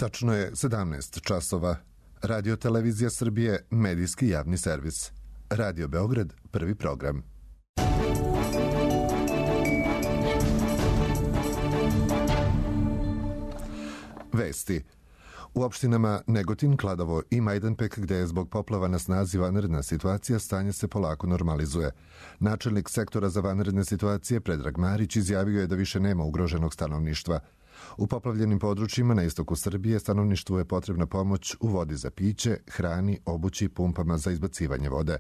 Tačno je 17 časova. Radio Televizija Srbije, medijski javni servis. Radio Beograd, prvi program. Vesti. U opštinama Negotin, Kladovo i Majdanpek, gde je zbog poplava na snazi vanredna situacija, stanje se polako normalizuje. Načelnik sektora za vanredne situacije Predrag Marić izjavio je da više nema ugroženog stanovništva. U poplavljenim područjima na istoku Srbije stanovništvu je potrebna pomoć u vodi za piće, hrani, obući i pumpama za izbacivanje vode.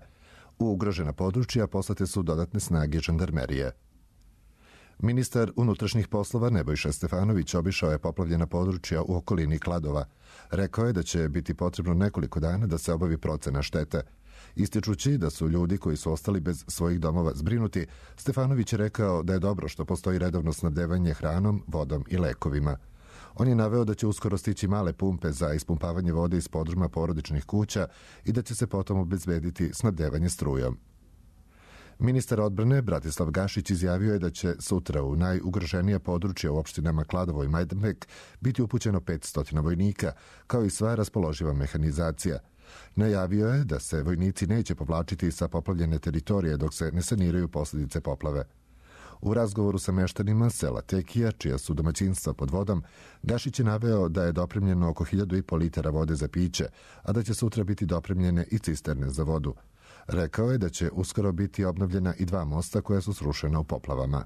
U ugrožena područja poslate su dodatne snage žandarmerije. Ministar unutrašnjih poslova Nebojša Stefanović obišao je poplavljena područja u okolini Kladova. Rekao je da će biti potrebno nekoliko dana da se obavi procena štete. Ističući da su ljudi koji su ostali bez svojih domova zbrinuti, Stefanović je rekao da je dobro što postoji redovno snabdevanje hranom, vodom i lekovima. On je naveo da će uskoro stići male pumpe za ispumpavanje vode iz podruma porodičnih kuća i da će se potom obezbediti snabdevanje strujom. Ministar odbrane Bratislav Gašić izjavio je da će sutra u najugroženija područja u opštinama Kladovo i Majdanpek biti upućeno 500 vojnika, kao i sva raspoloživa mehanizacija. Najavio je da se vojnici neće povlačiti sa poplavljene teritorije dok se ne saniraju posljedice poplave. U razgovoru sa meštanima sela Tekija, čija su domaćinstva pod vodom, Gašić je naveo da je dopremljeno oko 1.500 litara vode za piće, a da će sutra biti dopremljene i cisterne za vodu. Rekao je da će uskoro biti obnovljena i 2 mosta koja su srušena u poplavama.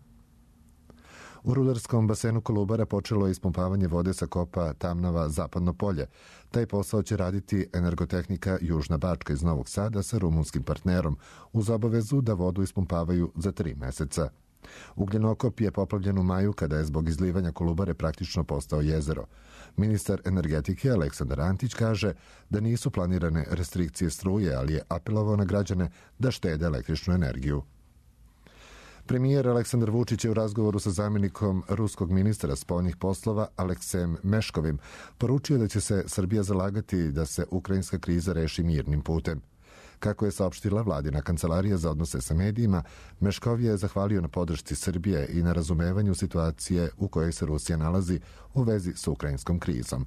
U rudarskom basenu Kolubara počelo je ispumpavanje vode sa kopa Tamnava Zapadno polje. Taj posao će raditi Energotehnika Južna Bačka iz Novog Sada sa rumunskim partnerom, uz obavezu da vodu ispumpavaju za 3 meseca. Ugljenokop je poplavljen u maju kada je zbog izlivanja Kolubare praktično postao jezero. Ministar energetike Aleksandar Antić kaže da nisu planirane restrikcije struje, ali je apelovao na građane da štede električnu energiju. Premijer Aleksandar Vučić je u razgovoru sa zamjenikom ruskog ministra spoljnih poslova Aleksejem Meškovim poručio da će se Srbija zalagati da se ukrajinska kriza reši mirnim putem. Kako je saopštila vladina kancelarija za odnose sa medijima, Meškov je zahvalio na podršci Srbije i na razumevanju situacije u kojoj se Rusija nalazi u vezi s ukrajinskom krizom.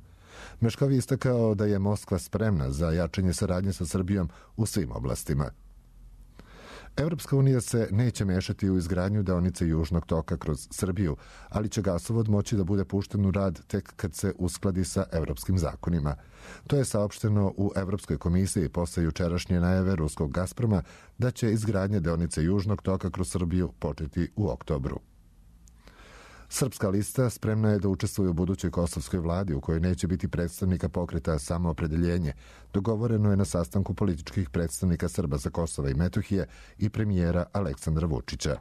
Meškov je istakao da je Moskva spremna za jačanje saradnje sa Srbijom u svim oblastima. Evropska unija se neće mešati u izgradnju deonice Južnog toka kroz Srbiju, ali će gasovod moći da bude pušten u rad tek kad se uskladi sa evropskim zakonima. To je saopšteno u Evropskoj komisiji posle jučerašnje najave ruskog Gazproma da će izgradnja deonice Južnog toka kroz Srbiju početi u oktobru. Srpska lista spremna je da učestvuje u budućoj kosovskoj vladi u kojoj neće biti predstavnika pokreta Samoopredeljenje. Dogovoreno je na sastanku političkih predstavnika Srba sa Kosova i Metohije i premijera Aleksandra Vučića.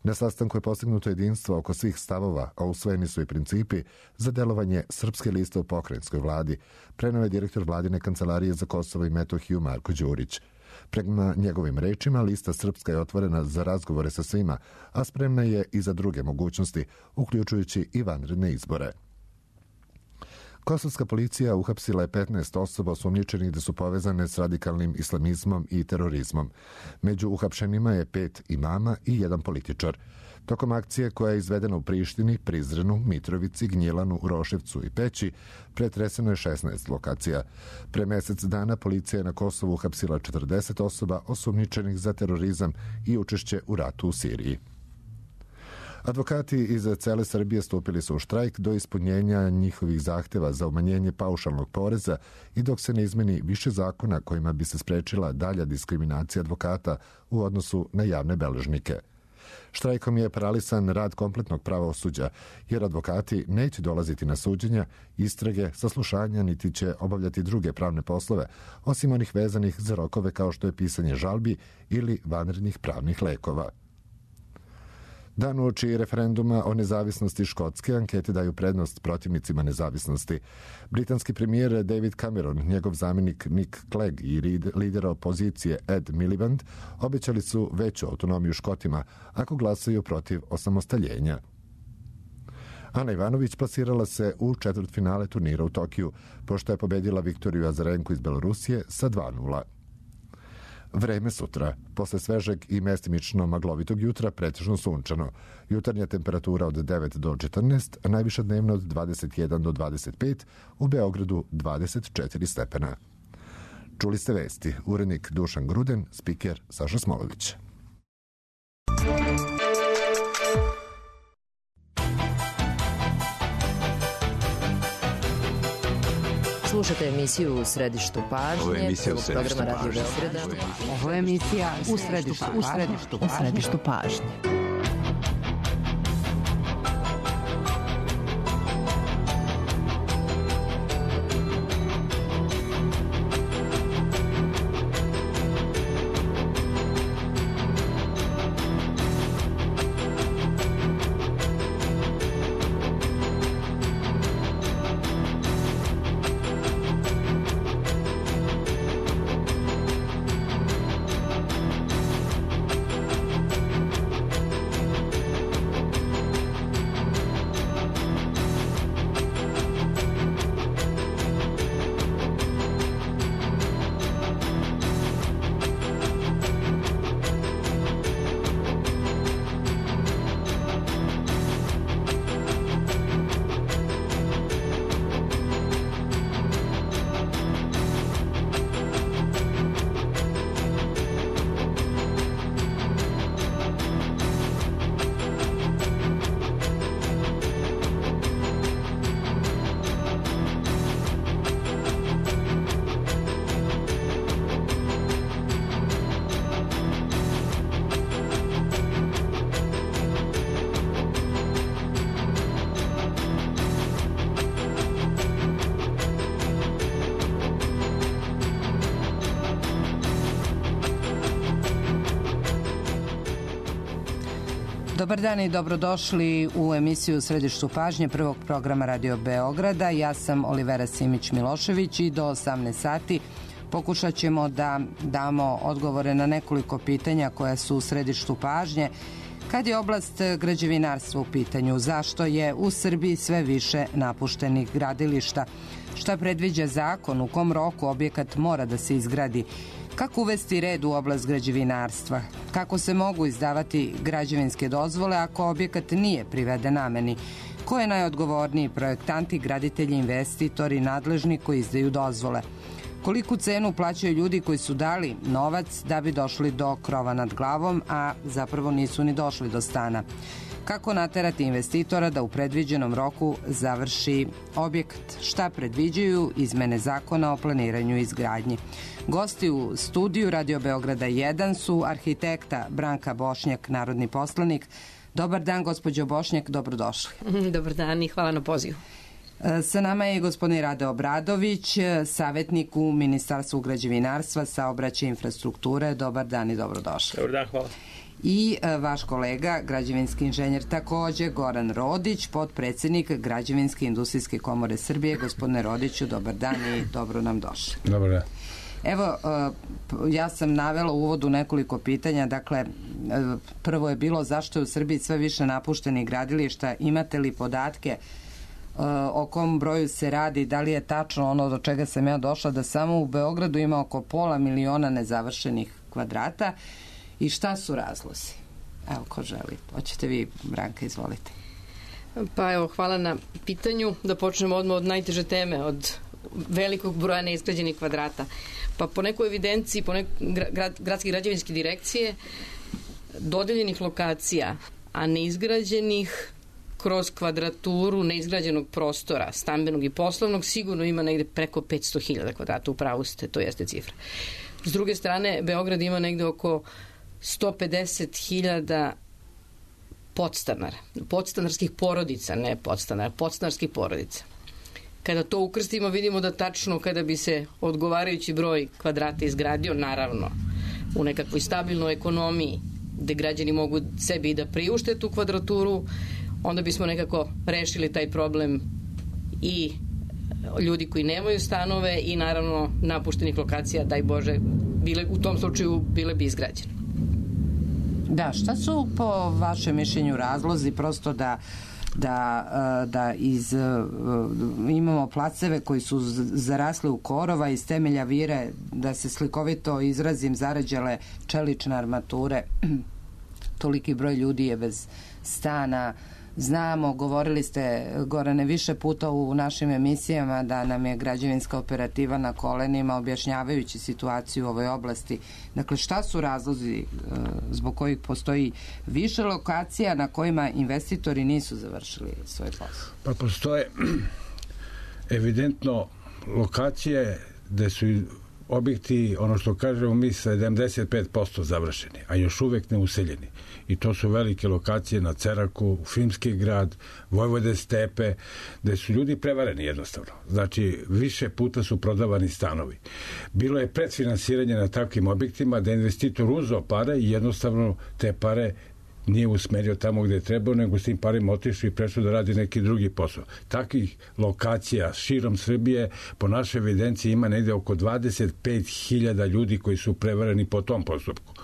Na sastanku je postignuto jedinstvo oko svih stavova, a usvojeni su i principi za delovanje Srpske liste u pokrajinskoj vladi, preneo je direktor vladine kancelarije za Kosovo i Metohiju Marko Đurić. Prema njegovim rečima, lista Srpska je otvorena za razgovore sa svima, a spremna je i za druge mogućnosti, uključujući i vanredne izbore. Kosovska policija uhapsila je 15 osoba osumnjičenih da su povezane s radikalnim islamizmom i terorizmom. Među uhapšenima je 5 imama i 1 političar. Tokom akcije koja je izvedena u Prištini, Prizrenu, Mitrovici, Gnjilanu, Roševcu i Peći, pretreseno je 16 lokacija. Pre mesec dana policija je na Kosovu uhapsila 40 osoba osumnjičenih za terorizam i učešće u ratu u Siriji. Advokati iz cele Srbije stupili su u štrajk do ispunjenja njihovih zahteva za umanjenje paušalnog poreza i dok se ne izmeni više zakona kojima bi se sprečila dalja diskriminacija advokata u odnosu na javne beležnike. Štrajkom je paralisan rad kompletnog pravosuđa, jer advokati neće dolaziti na suđenja, istrage, saslušanja, niti će obavljati druge pravne poslove, osim onih vezanih za rokove kao što je pisanje žalbi ili vanrednih pravnih lekova. Dan uoči referenduma o nezavisnosti Škotske, ankete daju prednost protivnicima nezavisnosti. Britanski premijer David Cameron, njegov zamjenik Nick Clegg i lider opozicije Ed Miliband obećali su veću autonomiju Škotima ako glasaju protiv osamostaljenja. Ana Ivanović plasirala se u četvrtfinale turnira u Tokiju, pošto je pobedila Viktoriju Azarenku iz Belorusije sa 2:0. Vreme sutra. Posle svežeg i mestimično maglovitog jutra pretežno sunčano. Jutarnja temperatura od 9 do 14, a najviša dnevna od 21 do 25, u Beogradu 24 stepena. Čuli ste vesti. Urednik Dušan Gruden, spiker Saša Smolović. Slušate emisiju U središtu pažnje. Ovo je emisija U središtu pažnje. Ovo je emisija U središtu pažnje. Dobar dan i dobrodošli u emisiju Središtu pažnje prvog programa Radio Beograda. Ja sam Olivera Simić-Milošević i do 18 sati pokušat ćemo da damo odgovore na nekoliko pitanja koja su u središtu pažnje. Kad je oblast građevinarstva u pitanju, zašto je u Srbiji sve više napuštenih gradilišta? Šta predviđa zakon, u kom roku objekat mora da se izgradi? Kako uvesti red u oblast građevinarstva? Kako se mogu izdavati građevinske dozvole ako objekat nije priveden nameni? Ko je najodgovorniji projektanti, graditelji, investitori, nadležni koji izdaju dozvole? Koliku cenu plaćaju ljudi koji su dali novac da bi došli do krova nad glavom, a zapravo nisu ni došli do stana? Kako naterati investitora da u predviđenom roku završi objekat? Šta predviđaju izmene zakona o planiranju i izgradnji? Gosti u studiju Radio Beograda 1 su arhitekta Branka Bošnjak, narodni poslanik. Dobar dan, gospođo Bošnjak, dobrodošli. Dobar dan i hvala na pozivu. Sa nama je gospodin Rade Obradović, savjetnik u Ministarstvu građevinarstva, saobraćaja i infrastrukture. Dobar dan i dobrodošli. Dobar dan, hvala. I vaš kolega, građevinski inženjer takođe, Goran Rodić, potpredsjednik Građevinske industrijske komore Srbije. Gospodine Rodiću, dobar dan i dobro nam došli. Dobar dan. Evo, ja sam navela u uvodu nekoliko pitanja. Dakle, prvo je bilo zašto je u Srbiji sve više napuštenih gradilišta. Imate li podatke o kom broju se radi? Da li je tačno ono do čega sam ja došla, da samo u Beogradu ima oko 500.000 nezavršenih kvadrata? I šta su razlozi? Evo, ko želi? Hoćete vi, Branka, izvolite. Pa evo, hvala na pitanju. Da počnemo odmah od najteže teme, od velikog broja neizgrađenih kvadrata. Pa po nekoj evidenciji, gradske građevinske direkcije, dodeljenih lokacija, a neizgrađenih kroz kvadraturu neizgrađenog prostora, stambenog i poslovnog, sigurno ima negde preko 500.000 kvadrata, upravo ste, to jeste cifra. S druge strane, Beograd ima negde oko 150.000 podstanara, podstanarskih porodica, ne podstanara, podstanarskih porodica. Kada to ukrstimo, vidimo da tačno kada bi se odgovarajući broj kvadrata izgradio, naravno, u nekakvoj stabilnoj ekonomiji, gde građani mogu sebi i da priušte tu kvadraturu, onda bismo nekako rešili taj problem i ljudi koji nemaju stanove i naravno napuštenih lokacija, daj Bože, u tom slučaju bile bi izgrađene. Da, šta su po vašem mišljenju razlozi prosto da da imamo placeve koji su zarasli u korova, iz temelja vire, da se slikovito izrazim, zarađale čelične armature. Toliki broj ljudi je bez stana. Znamo, govorili ste, Gorane, više puta u našim emisijama da nam je građevinska operativa na kolenima, objašnjavajući situaciju u ovoj oblasti. Dakle, šta su razlozi zbog kojih postoji više lokacija na kojima investitori nisu završili svoj posao? Pa postoje evidentno lokacije gde su objekti, ono što kažemo mi, 75% završeni, a još uvek neuseljeni. I to su velike lokacije na Ceraku, Filmski grad, Vojvode stepe, gde su ljudi prevareni jednostavno. Znači, više puta su prodavani stanovi. Bilo je predfinansiranje na takvim objektima da investitor uzeo pare i jednostavno te pare nije usmerio tamo gde je trebao, nego s tim parima otišao i prešao da radi neki drugi posao. Takvih lokacija širom Srbije po našoj evidenciji ima negde oko 25.000 ljudi koji su prevareni po tom postupku.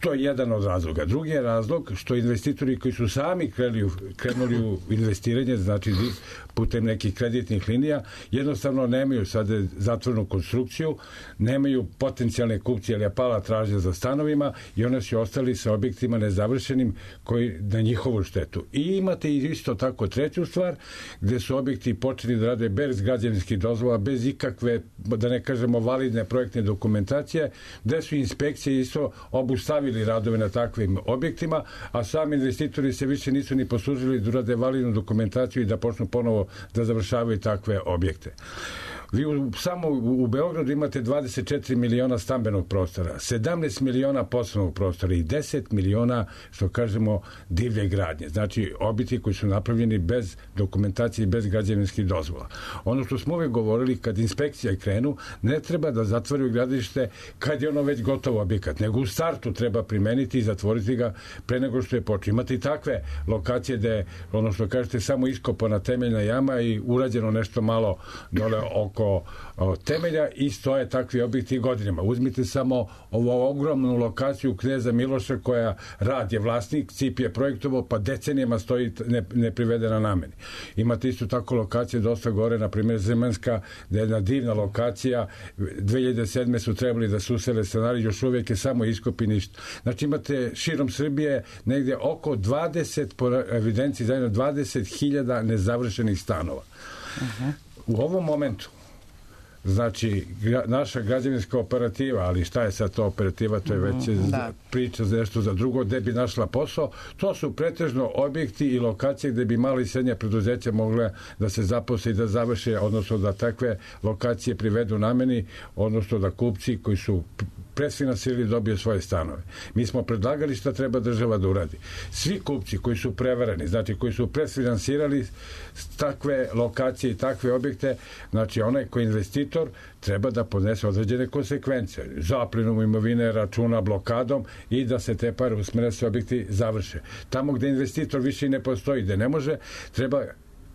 To je jedan od razloga. Drugi je razlog što investitori koji su sami krenuli u investiranje, znači putem nekih kreditnih linija, jednostavno nemaju sad zatvorenu konstrukciju, nemaju potencijalne kupce, jer je pala tražnja za stanovima i one su ostali sa objektima nezavršenim koji na njihovu štetu. I imate isto tako treću stvar, gde su objekti počeli da rade bez građevinskih dozvola, bez ikakve, da ne kažemo, validne projektne dokumentacije, gde su inspekcije isto obustavili radove na takvim objektima, a sami investitori se više nisu ni poslužili da urade validnu dokumentaciju i da počnu ponovo da završavaju takve objekte. Vi samo u Beogradu imate 24 miliona stambenog prostora, 17 miliona poslovnog prostora i 10 miliona, što kažemo, divlje gradnje. Znači, objekti koji su napravljeni bez dokumentacije i bez građevinskih dozvola. Ono što smo uvek govorili, kad inspekcija krenu, ne treba da zatvaraju gradilište kad je ono već gotovo objekat, nego u startu treba primeniti i zatvoriti ga pre nego što je počeo. Imate i takve lokacije gde, ono što kažete, samo iskopana temeljna jama i urađeno nešto malo dole oko temelja i stoje takvi objekti godinama. Uzmite samo ovu ogromnu lokaciju Kneza Miloša koja rad je vlasnik, CIP je projektovao, pa decenijama stoji neprivedena nameni. Imate isto tako lokacije dosta gore, na primjer Zemanska, gde je jedna divna lokacija, 2007. su trebali da se usele stanari, još uvijek je samo iskopi ništa. Znači imate širom Srbije negdje oko 20, po evidenciji zajedno 20.000 nezavršenih stanova. U ovom momentu, znači, naša građevinska operativa, ali šta je sad to operativa, to je već priča za nešto za drugo, gde bi našla posao, to su pretežno objekti i lokacije gde bi mali i srednje preduzeća mogle da se zaposle i da završe, odnosno da takve lokacije privedu nameni, odnosno da kupci koji su predfinansirali dobiju svoje stanove. Mi smo predlagali šta treba država da uradi. Svi kupci koji su prevareni, znači koji su predfinansirali takve lokacije i takve objekte, znači onaj koji investitor treba da podnese određene konsekvence. Zaplinom imovine, računa, blokadom i da se te pare usmere se objekti završe. Tamo gde investitor više ne postoji, gde ne može, treba,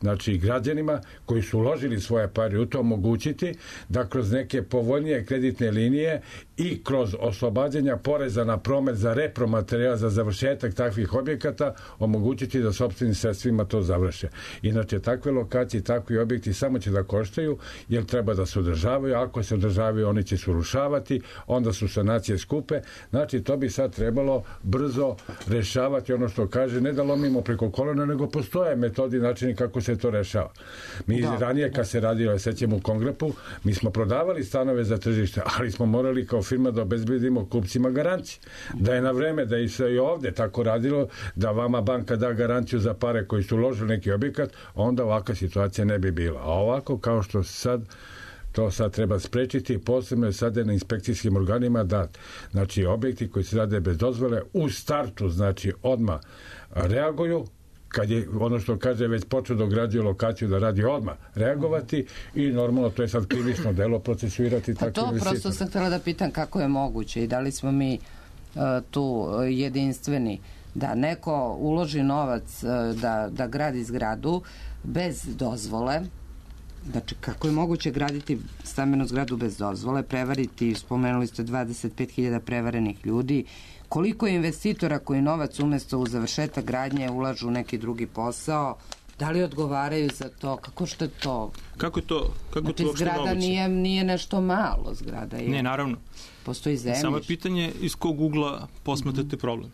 znači, građanima koji su uložili svoje pare u to omogućiti da kroz neke povoljnije kreditne linije i kroz oslobađanja poreza na promet za repromaterijal za završetak takvih objekata omogućiti da sopstvenim sredstvima to završe. Inače, takve lokacije, takvi objekti samo će da koštaju jer treba da se održavaju. Ako se održavaju, oni će se urušavati, onda su sanacije skupe. Znači, to bi sad trebalo brzo rešavati, ono što kaže, ne da lomimo preko kolena, nego postoje metodi i načini kako se to rešava. Mi ranije kad se radilo, sećamo u Kongrepu, mi smo prodavali stanove za tržište, ali smo morali kao firma da obezbedimo kupcima garanciju. Da je na vreme, da je se i ovde tako radilo, da vama banka da garanciju za pare koji su uložili neki objekat, onda ovakva situacija ne bi bila. A ovako, kao što sad, to sad treba sprečiti, posebno je sada na inspekcijskim organima da, znači, objekti koji se rade bez dozvole u startu, znači, odmah reaguju, kad je, ono što kaže, već počeo da ograđuje lokaciju da radi odmah reagovati i normalno to je sad krivično delo procesuirati takve investitore. To prosto sam htjela da pitam kako je moguće i da li smo mi tu jedinstveni da neko uloži novac da gradi zgradu bez dozvole. Znači, kako je moguće graditi stambenu zgradu bez dozvole, prevariti, spomenuli ste 25.000 prevarenih ljudi, koliko je investitora koji novac umesto u završetak gradnje ulažu u neki drugi posao, Da li odgovaraju za to? Kako što je to? Kako je to uopšte moguće? Zgrada nije nešto malo, zgrada je. Ne, naravno. Postoji zemljište. Samo je pitanje iz kog ugla posmatrate problem.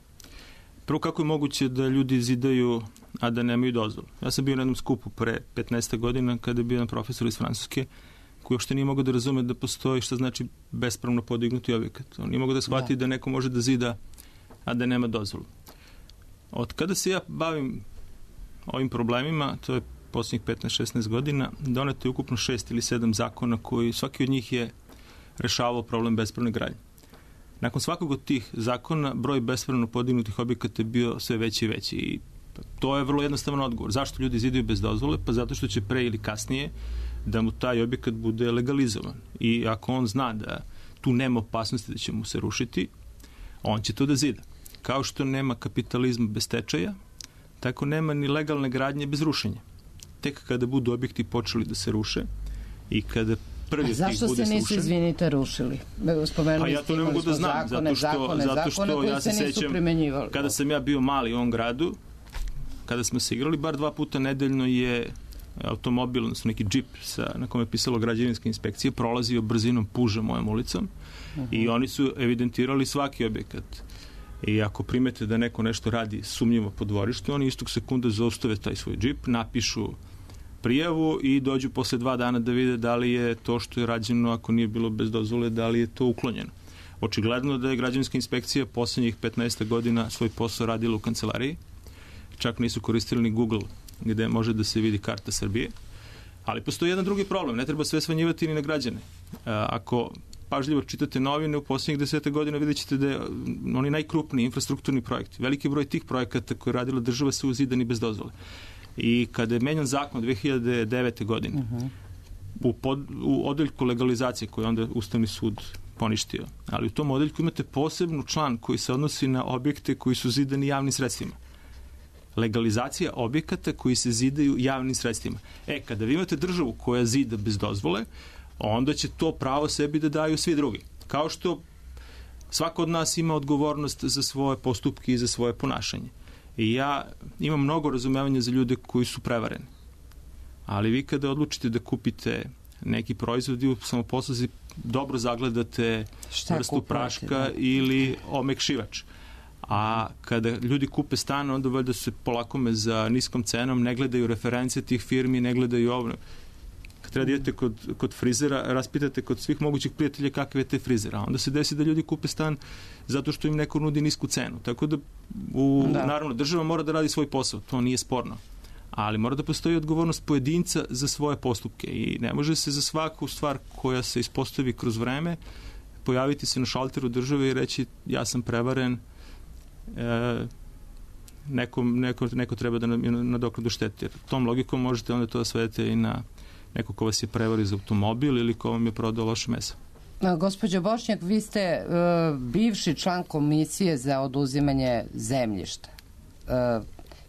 Prvo, kako je moguće da ljudi zidaju, a da nemaju dozvolu? Ja sam bio na jednom skupu pre 15 godina kada je bio jedan profesor iz Francuske koji uopšte nije mogao da razume da postoji šta znači bespravno podignuti objekat. On nije mogao da shvati da neko može da zida, a da nema dozvolu. Od kada se ja bavim ovim problemima, to je posljednjih 15-16 godina, doneto je ukupno 6 ili 7 zakona koji svaki od njih je rešavao problem bespravne gradnje. Nakon svakog od tih zakona broj bespravno podignutih objekata je bio sve veći i veći i to je vrlo jednostavan odgovor. Zašto ljudi zidaju bez dozvole? Pa zato što će pre ili kasnije da mu taj objekat bude legalizovan. I ako on zna da tu nema opasnosti da će mu se rušiti, on će to da zida. Kao što nema kapitalizma bez stečaja, tako nema ni legalne gradnje bez rušenja. Tek kada budu objekti počeli da se ruše i kada prvi od tih bude zašto se nisu, izvinite, rušili? A ja to ne mogu da znam, zato što ja se sećam, kada sam ja bio mali u ovom gradu, kada smo se igrali, bar 2 puta nedeljno je automobil, odnosno neki džip na kome je pisalo građevinska inspekcija, prolazio brzinom puža mojom ulicom i oni su evidentirali svaki objekat. I ako primete da neko nešto radi sumnjivo po dvorištu, oni istog sekunda zaustave taj svoj džip, napišu prijavu i dođu posle 2 dana da vide da li je to što je rađeno, ako nije bilo bez dozvole, da li je to uklonjeno. Očigledno da je građevinska inspekcija poslednjih 15 godina svoj posao radila u kancelariji. Čak nisu koristili ni Google gde može da se vidi karta Srbije. Ali postoji jedan drugi problem. Ne treba sve svanjivati ni na građane. Ako pažljivo čitate novine, u posljednjih 10 godina vidjet ćete da je oni najkrupniji infrastrukturni projekti. Veliki broj tih projekata koje je radila država su uzidani bez dozvole. I kada je menjan zakon 2009. godine u odeljku legalizacije koju je onda Ustavni sud poništio, ali u tom odeljku imate posebnu član koji se odnosi na objekte koji su zidani javnim sredstvima. Legalizacija objekata koji se zidaju javnim sredstvima. Kada vi imate državu koja zida bez dozvole, onda će to pravo sebi da daju svi drugi. Kao što svako od nas ima odgovornost za svoje postupke i za svoje ponašanje. I ja imam mnogo razumevanja za ljude koji su prevareni. Ali vi kada odlučite da kupite neki proizvod i u samoposluzi dobro zagledate vrstu praška ili omekšivač. A kada ljudi kupe stan, onda valjda se polakome za niskom cenom, ne gledaju reference tih firmi, ne gledaju ovo. Kad treba da idete kod frizera, raspitate kod svih mogućih prijatelja kakve je te frizera. Onda se desi da ljudi kupe stan zato što im neko nudi nisku cenu. Tako da, naravno, država mora da radi svoj posao, to nije sporno. Ali mora da postoji odgovornost pojedinca za svoje postupke i ne može se za svaku stvar koja se ispostavi kroz vreme pojaviti se na šalteru države i reći ja sam prevaren, neko treba da nadoknadu štete. Jer tom logikom možete onda to da svedete i na neko ko vas je prevario za automobil ili ko vam je prodao loše meso. Gospođo Bošnjak, vi ste bivši član komisije za oduzimanje zemljišta.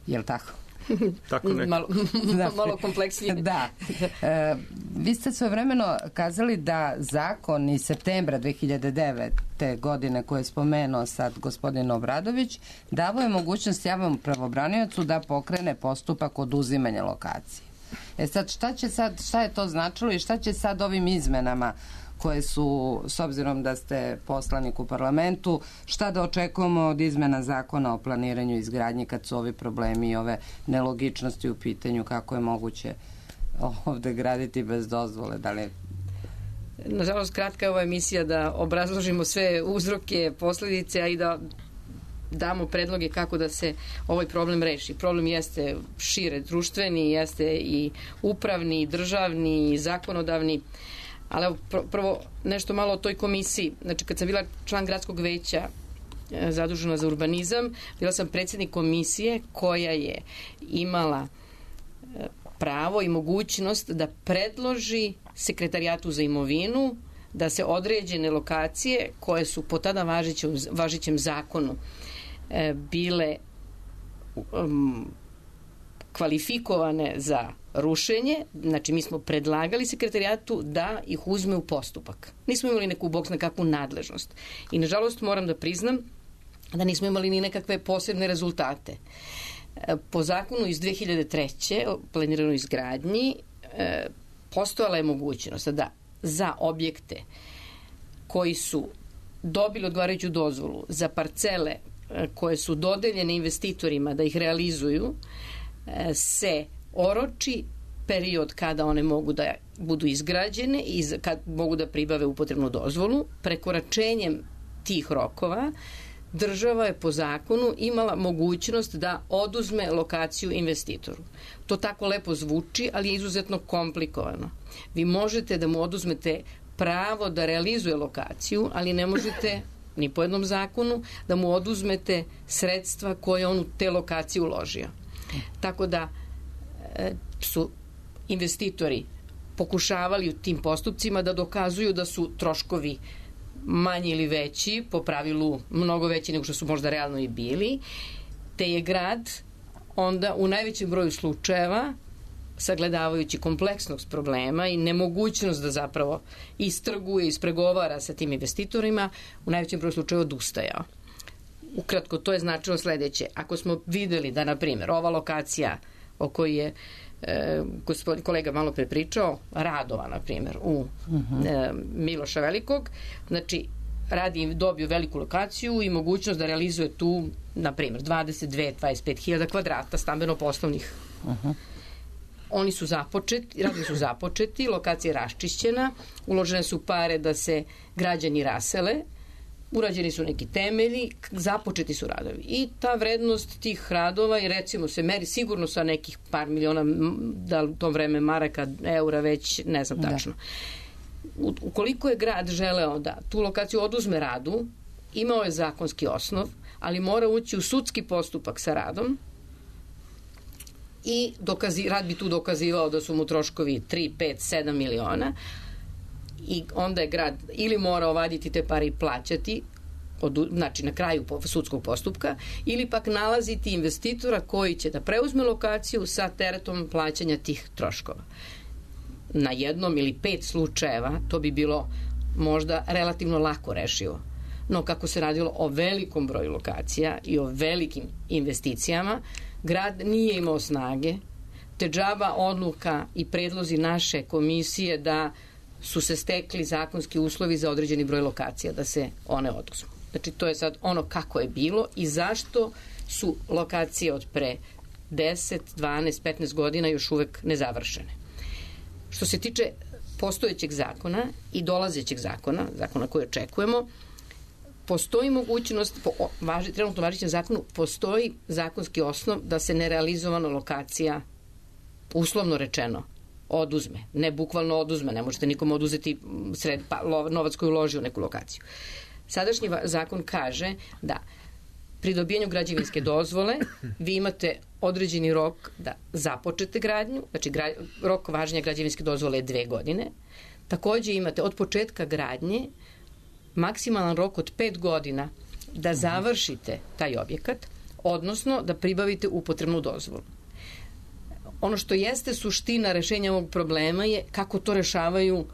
Je li tako? Tako neko. Malo kompleksnije. Da. Vi ste svojevremeno kazali da zakon iz septembra 2009. godine koje je spomenuo sad gospodin Obradović davo je mogućnost javnom pravobraniocu da pokrene postupak oduzimanja lokacije. Sad, šta je to značilo i šta će sad ovim izmenama koje su, s obzirom da ste poslanik u parlamentu, šta da očekujemo od izmena zakona o planiranju i izgradnji kad su ovi problemi i ove nelogičnosti u pitanju, kako je moguće ovde graditi bez dozvole? Da li... Nažalost, kratka je ova emisija da obrazložimo sve uzroke, posledice, a i da damo predloge kako da se ovaj problem reši. Problem jeste šire društveni, jeste i upravni, i državni, i zakonodavni. Ali evo, prvo nešto malo o toj komisiji. Znači, kad sam bila član gradskog veća zadužena za urbanizam, bila sam predsjednik komisije koja je imala pravo i mogućnost da predloži sekretarijatu za imovinu da se određene lokacije koje su po tada važećem zakonu bile kvalifikovane za rušenje, znači mi smo predlagali sekretarijatu da ih uzme u postupak. Nismo imali neku bog na kakvu nadležnost. I nažalost moram da priznam da nismo imali ni nekakve posebne rezultate. Po zakonu iz 2003. o planiranoj izgradnji postojala je mogućnost da za objekte koji su dobili odgovarajuću dozvolu za parcele koje su dodeljene investitorima da ih realizuju, se oroči period kada one mogu da budu izgrađene i kad mogu da pribave upotrebnu dozvolu. Prekoračenjem tih rokova država je po zakonu imala mogućnost da oduzme lokaciju investitoru. To tako lepo zvuči, ali je izuzetno komplikovano. Vi možete da mu oduzmete pravo da realizuje lokaciju, ali ne možete ni po jednom zakonu da mu oduzmete sredstva koje on u te lokacije uložio. Tako da su investitori pokušavali u tim postupcima da dokazuju da su troškovi manji ili veći, po pravilu mnogo veći nego što su možda realno i bili, te je grad onda u najvećem broju slučajeva, sagledavajući kompleksnost problema i nemogućnost da zapravo istrguje, ispregovara sa tim investitorima, u najvećem broju slučajeva odustajao. Ukratko, to je značilo sledeće. Ako smo videli da, na primjer, ova lokacija o kojoj je gospodin kolega malo pre pričao, Radova, na primjer, u Miloša Velikog, znači radi dobio veliku lokaciju i mogućnost da realizuje tu, na primjer, 22-25 hiljada kvadrata stambeno-poslovnih. Oni su započeti, radovi su započeti, lokacija je raščišćena, uložene su pare da se građani rasele, urađeni su neki temelji, započeti su radovi. I ta vrednost tih radova i recimo se meri sigurno sa nekih par miliona, da u tom vreme maraka, eura već, ne znam tačno. Ukoliko je grad želeo da tu lokaciju oduzme radu, imao je zakonski osnov, ali mora ući u sudski postupak sa radom i rad bi tu dokazivao da su mu troškovi 3, 5, 7 miliona, i onda je grad ili mora ovaditi te pare i plaćati, znači na kraju sudskog postupka, ili pak nalaziti investitora koji će da preuzme lokaciju sa teretom plaćanja tih troškova. Na jednom ili 5 slučajeva to bi bilo možda relativno lako rešivo. No kako se radilo o velikom broju lokacija i o velikim investicijama, grad nije imao snage, te džaba odluka i predlozi naše komisije da su se stekli zakonski uslovi za određeni broj lokacija, da se one oduzmu. Znači, to je sad ono kako je bilo i zašto su lokacije od pre 10, 12, 15 godina još uvek nezavršene. Što se tiče postojećeg zakona i dolazećeg zakona koji očekujemo, postoji mogućnost, po trenutno važećem zakonu, postoji zakonski osnov da se nerealizovana lokacija, uslovno rečeno, oduzme. Ne bukvalno oduzme, ne možete nikom oduzeti novac koji uloži u neku lokaciju. Sadašnji zakon kaže da pri dobijanju građevinske dozvole vi imate određeni rok da započete gradnju, znači rok važenja građevinske dozvole je 2 godine. Takođe imate od početka gradnje maksimalan rok od 5 godina da završite taj objekat, odnosno da pribavite upotrebnu dozvolu. Ono što jeste suština rešenja ovog problema je kako to rešavaju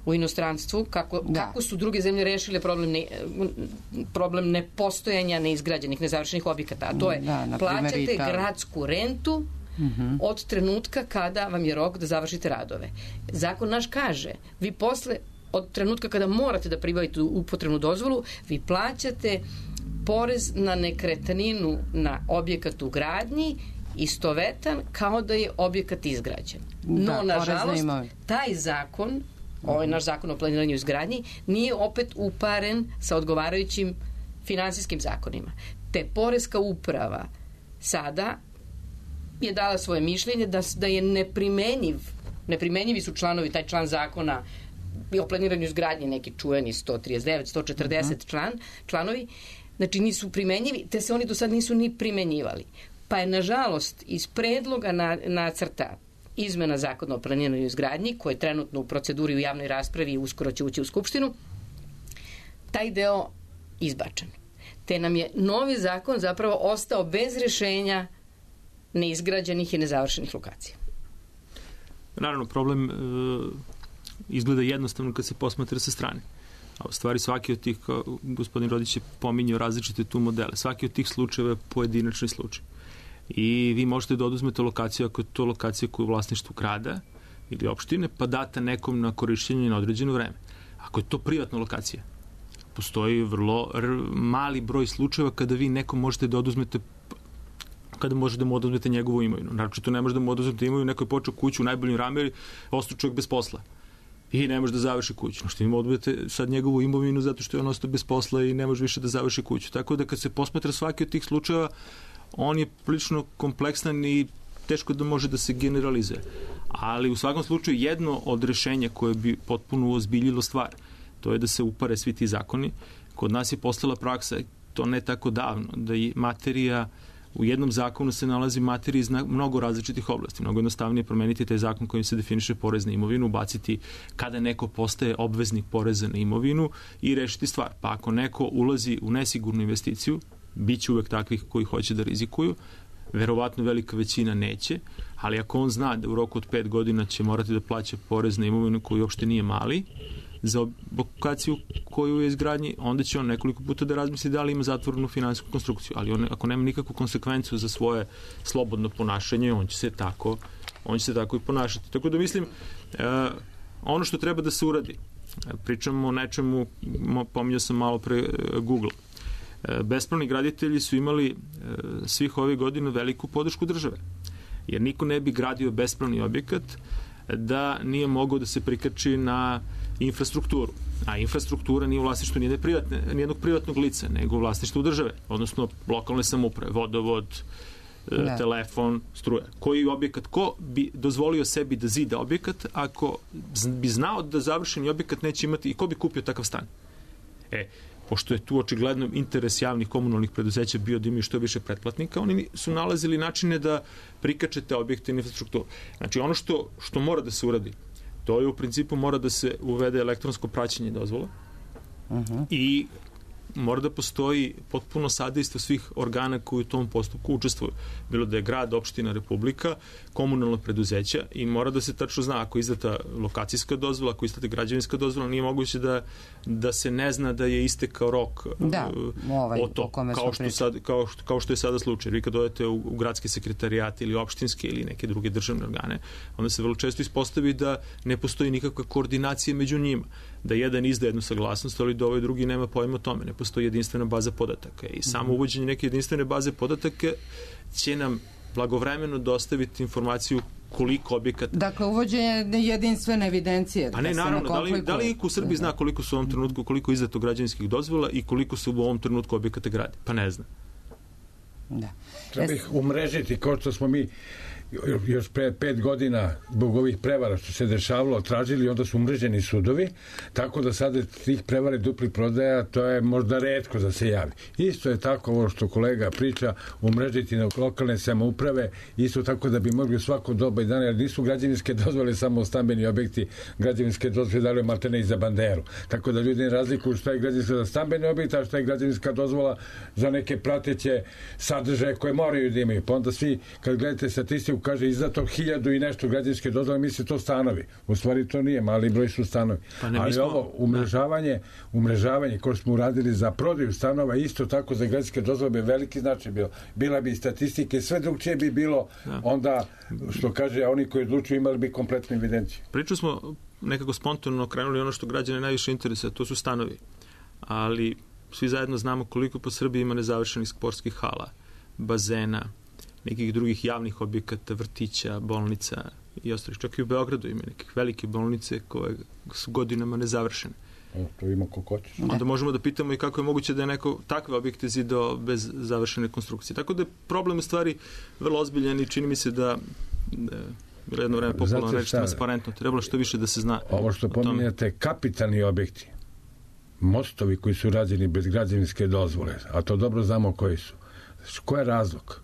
u inostranstvu, kako su druge zemlje rešile problem nepostojanja neizgrađenih, nezavršenih objekata. A to je, plaćate gradsku rentu od trenutka kada vam je rok da završite radove. Zakon naš kaže, vi posle, od trenutka kada morate da pribavite upotrebnu dozvolu, vi plaćate porez na nekretninu na objekat u gradnji istovetan kao da je objekat izgrađen. No, nažalost, taj zakon, ovaj naš zakon o planiranju i izgradnji, nije opet uparen sa odgovarajućim finansijskim zakonima. Te poreska uprava sada je dala svoje mišljenje da je neprimenjivi su članovi, taj član zakona o planiranju i izgradnji, neki čuveni 139, 140 članovi, znači nisu primenjivi, te se oni do sad nisu ni primenjivali. Pa je, nažalost, iz predloga nacrta izmena zakona o planiranju i izgradnji, koji je trenutno u proceduri u javnoj raspravi i uskoro će ući u Skupštinu, taj deo izbačen. Te nam je novi zakon zapravo ostao bez rešenja neizgrađenih i nezavršenih lokacija. Naravno, problem izgleda jednostavno kad se posmatra sa strane. A u stvari svaki od tih, gospodin Rodić je pominjao različite tu modele, svaki od tih slučajeva je pojedinačni slučaj. i vi možete da oduzmete lokaciju ako je to lokacija koja je u vlasništvu grada ili opštine, pa data nekom na korišćenje na određeno vreme. Ako je to privatna lokacija, postoji vrlo mali broj slučajeva kada vi nekom možete da oduzmete njegovu imovinu. Naravno, to ne može da mu oduzmete imovinu, neko je počeo kuću u najboljim rameri, ostao čovjek bez posla i ne može da završi kuću. Što im oduzmete sad njegovu imovinu zato što je on ostao bez posla i ne može više da završi kuću. Tako da kad se posmatra svaki od tih slučajeva, on je prilično kompleksan i teško da može da se generalizuje. Ali u svakom slučaju jedno od rešenja koje bi potpuno ozbiljilo stvar, to je da se upare svi ti zakoni. Kod nas je postala praksa, to ne tako davno, da je materija, u jednom zakonu se nalazi materija iz mnogo različitih oblasti. Mnogo jednostavnije promeniti taj zakon kojim se definiše porez na imovinu, ubaciti kada neko postaje obveznik poreza na imovinu i rešiti stvar. Pa ako neko ulazi u nesigurnu investiciju, bit će uvek takvih koji hoće da rizikuju, verovatno velika većina neće, ali ako on zna da u roku od 5 godina će morati da plaća porez na imovinu koji uopšte nije mali, za lokaciju koju je izgradnji, onda će on nekoliko puta da razmisli da li ima zatvorenu finansijsku konstrukciju, ali on, ako nema nikakvu konsekvencu za svoje slobodno ponašanje, on će se tako i ponašati. Tako da mislim, ono što treba da se uradi, pričamo o nečemu, pominjao sam malo pre Google, bespravni graditelji su imali svih ovih godina veliku podršku države, jer niko ne bi gradio bespravni objekat da nije mogao da se prikači na infrastrukturu. A infrastruktura nije u vlasništvu nijednog privatnog lica, nego u vlasništvu države, odnosno lokalne samouprave, vodovod, telefon, struja. Koji objekat, ko bi dozvolio sebi da zida objekat ako bi znao da završeni objekat neće imati i ko bi kupio takav stan? Pošto je tu očigledno interes javnih komunalnih preduzeća bio da imaju što više pretplatnika, oni su nalazili načine da prikače te objekte i infrastrukturu. Znači, ono što mora da se uradi, to je u principu mora da se uvede elektronsko praćenje dozvola i mora da postoji potpuno sadejstvo svih organa koji u tom postupku učestvuju. Bilo da je grad, opština, republika, komunalna preduzeća i mora da se tačno zna ako je izdata lokacijska dozvola, ako je izdata građevinska dozvola, nije moguće da se ne zna da je istekao rok o to, kao što je sada slučaj. Vi kad odete u gradske sekretarijate ili opštinske ili neke druge državne organe, onda se vrlo često ispostavi da ne postoji nikakva koordinacija među njima, da jedan izda jednu saglasnost, ali da ovaj drugi nema pojma o tome, ne postoji jedinstvena baza podataka i samo uvođenje neke jedinstvene baze podataka će nam blagovremeno dostaviti informaciju koliko objekata. Dakle, uvođenje jedinstvene evidencije. A ne, naravno, da li u Srbiji zna koliko su u ovom trenutku, koliko je izdato građevinskih dozvola i koliko se u ovom trenutku objekata gradi? Pa ne zna. Da. Treba ih umrežiti, kao što smo mi još pre 5 godina zbog ovih prevara što se dešavalo tražili, onda su umreženi sudovi, tako da sada tih prevara i duplih prodaja, to je možda retko da se javi. Isto je tako ovo što kolega priča, umrežiti na lokalne samouprave, isto tako da bi mogli svako doba i dana, jer nisu građevinske dozvole samo stambeni objekti, građevinske dozvole dali maltene i za banderu. Tako da ljudi ne razlikuju šta je građevinska za stambeni objekt, a šta je građevinska dozvola za neke prateće sadržaje koje moraju da imaju. Pa onda svi, kad gledate statistiku, kaže izdato 1000 i nešto građevinske dozvole, misli to stanovi. U stvari to nije, mali broj su stanovi. Ali ovo umrežavanje koje smo uradili za prodaju stanova, isto tako za građevinske dozvole bi veliki značaj bilo. Bila bi statistike, sve drugčije bi bilo, onda, što kaže, oni koji odlučuju imali bi kompletnu evidenciju. Priču smo nekako spontano krenuli ono što građane najviše interesa, to su stanovi. Ali svi zajedno znamo koliko po Srbiji ima nezavršenih sportskih hala, bazena, nekih drugih javnih objekata, vrtića, bolnica i ostalih. Čak i u Beogradu ima nekih velike bolnice koje su godinama nezavršene. To ima ko hoćeš. Onda možemo da pitamo i kako je moguće da je neko takve objekte zidao bez završene konstrukcije. Tako da je problem u stvari vrlo ozbiljan i čini mi se da bilo jedno vreme popularno reći transparentno. Trebalo što više da se zna. Ovo što pominjate, kapitalni objekti, mostovi koji su rađeni bez građevinske dozvole, a to dobro znamo koji su. Ko je razlog?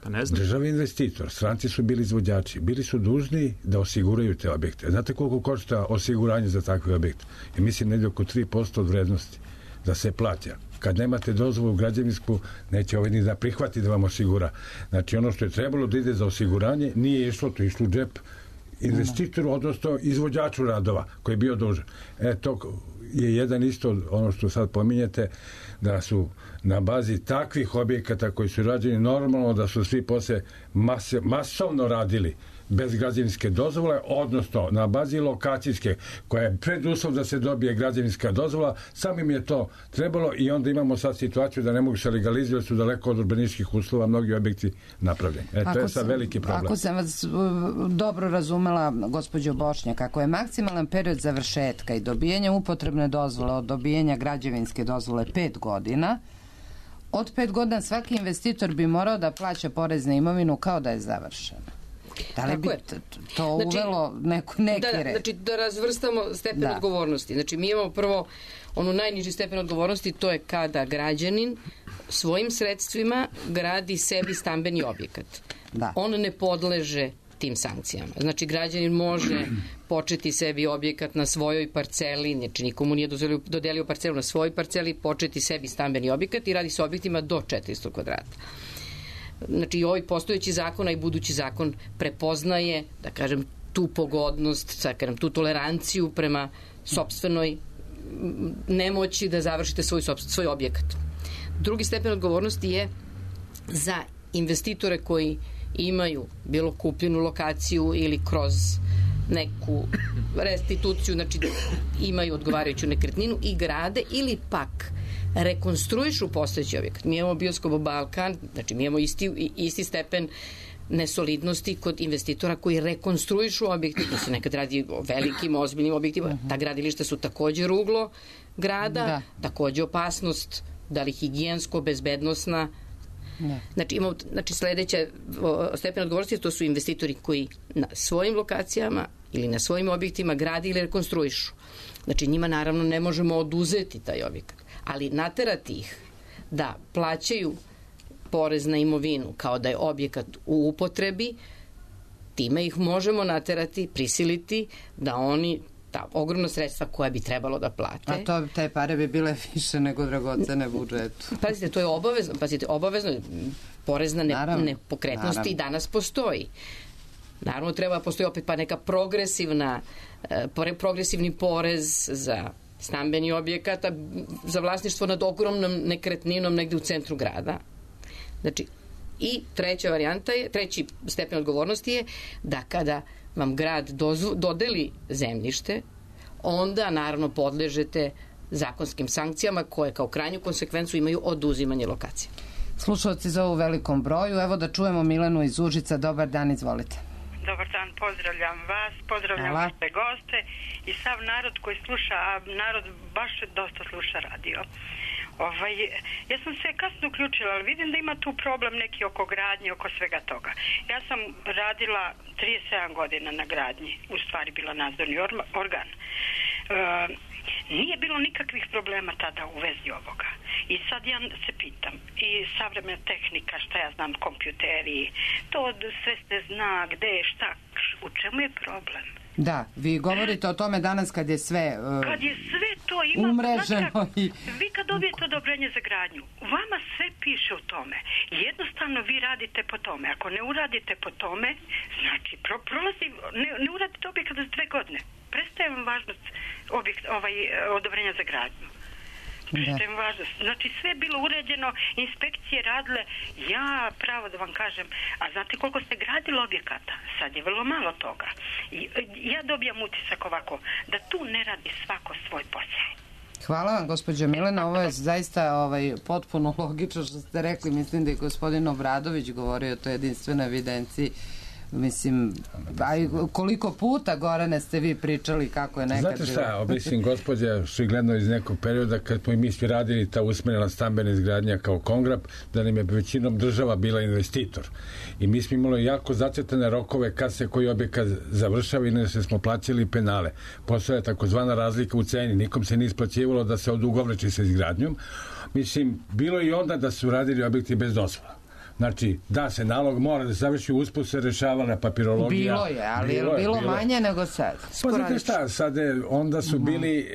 Pa ne znam. Državni investitor, stranci su bili izvođači, bili su dužni da osiguraju te objekte. Znate koliko košta osiguranje za takve objekte? Ja mislim negdje oko 3% od vrednosti da se plaća. Kad nemate dozvolu građevinsku, neće ovaj ni da prihvati da vam osigura. Znači ono što je trebalo da ide za osiguranje, nije išlo, to išlo u džep investitoru, odnosno izvođaču radova koji je bio dužan. To je jedan isto ono što sad pominjete, da su na bazi takvih objekata koji su rađeni normalno da su svi posle masovno radili bez građevinske dozvole, odnosno na bazi lokacijske, koja je preduslov da se dobije građevinska dozvola, samim je to trebalo i onda imamo sad situaciju da ne mogu se legalizirati, su daleko od urbanističkih uslova mnogi objekti napravljeni. To je sad veliki problem. Ako sam vas dobro razumela, gospođo Bošnjak, ako je maksimalan period završetka i dobijanja upotrebne dozvole od dobijanja građevinske dozvole 5 godina, od 5 godina svaki investitor bi morao da plaća porez na imovinu kao da je završena. Da li bi to uvelo neki red? Znači, da razvrstamo stepen odgovornosti. Znači, mi imamo prvo ono najniži stepen odgovornosti, to je kada građanin svojim sredstvima gradi sebi stambeni objekat. On ne podleže tim sankcijama. Znači, građanin može početi sebi objekat na svojoj parceli, znači nikomu nije dodelio parcelu na svojoj parceli, početi sebi stambeni objekat i radi se objektima do 400 kvadrata. Znači i ovaj postojeći zakon, a i budući zakon prepoznaje, da kažem, tu pogodnost, tu toleranciju prema sopstvenoj nemoći da završite svoj objekat. Drugi stepen odgovornosti je za investitore koji imaju bilo kupljenu lokaciju ili kroz neku restituciju, znači imaju odgovarajuću nekretninu i grade ili pak rekonstruišu postojeći objekat. Mi imamo Bioskop Balkan, znači mi imamo isti stepen nesolidnosti kod investitora koji rekonstruišu objekte, to se nekad radi o velikim, ozbiljnim objektima. Ta gradilišta su također ruglo grada, također opasnost, da li higijensko, bezbednosna. Znači sledeća stepen odgovornosti, to su investitori koji na svojim lokacijama ili na svojim objektima gradi ili rekonstruišu. Znači njima naravno ne možemo oduzeti taj objekat, ali naterati ih da plaćaju porez na imovinu kao da je objekat u upotrebi, time ih možemo naterati, prisiliti da oni ta ogromna sredstva koja bi trebalo da plate. A te pare bi bile više nego dragocene budžetu. Pazite, to je obavezno. Porez na nepokretnosti i danas postoji. Naravno, treba postoji opet pa neka progresivni porez za stambeni objekat, za vlasništvo nad ogromnom nekretninom negde u centru grada. Znači, i treći stepen odgovornosti je da kada vam grad dodeli zemljište, onda naravno podležete zakonskim sankcijama koje kao krajnju konsekvencu imaju oduzimanje lokacije. Slušalci za ovu velikom broju, evo da čujemo Milenu iz Užica. Dobar dan, izvolite. Dobar dan, pozdravljam vas, pozdravljam vaše goste i sav narod koji sluša, a narod baš dosta sluša radio. Ja sam se kasno uključila, ali vidim da ima tu problem neki oko gradnje, oko svega toga. Ja sam radila 37 godina na gradnji, u stvari bila nadzorni organ. Nije bilo nikakvih problema tada u vezi ovoga. I sad ja se pitam, i savremena tehnika, šta ja znam, kompjuteri, to sve se zna, gde je, šta, u čemu je problem? Da, vi govorite o tome danas kad je sve kad je sve to ima umreženo i... Vi kad dobijete odobrenje za gradnju, vama sve piše u tome. Jednostavno vi radite po tome. Ako ne uradite po tome, znači prolazi, ne uradite objekat za 2 godine. Prestaje vam važnost odobrenja za gradnju. Znači sve je bilo uređeno, inspekcije radile, ja pravo da vam kažem, a znate koliko ste gradili objekata? Sad je vrlo malo toga. Ja dobijam utisak ovako, da tu ne radi svako svoj posao. Hvala vam, gospođo Milena, ovo je zaista potpuno logično što ste rekli, mislim da je gospodin Obradović govorio o toj jedinstvenoj evidenciji. Mislim, koliko puta, Gorane, ste vi pričali kako je nekad... Znate šta, mislim, gospođa, šigledno iz nekog perioda kad smo i mi svi radili ta usmerena stambena izgradnja kao Kongrab, da nam je većinom država bila investitor. I mi smo imali jako zacrtane rokove kad se koji objekat završava i ne se smo plaćali penale. Postoja takozvana razlika u ceni, nikom se nije isplaćivalo da se odugovlači sa izgradnjom. Mislim, bilo i onda da su radili objekti bez dozvola. Znači, da se nalog mora da završi, usput se rešavala papirologija. Bilo je, ali je bilo manje nego sad. Pa znate šta, sad onda su bili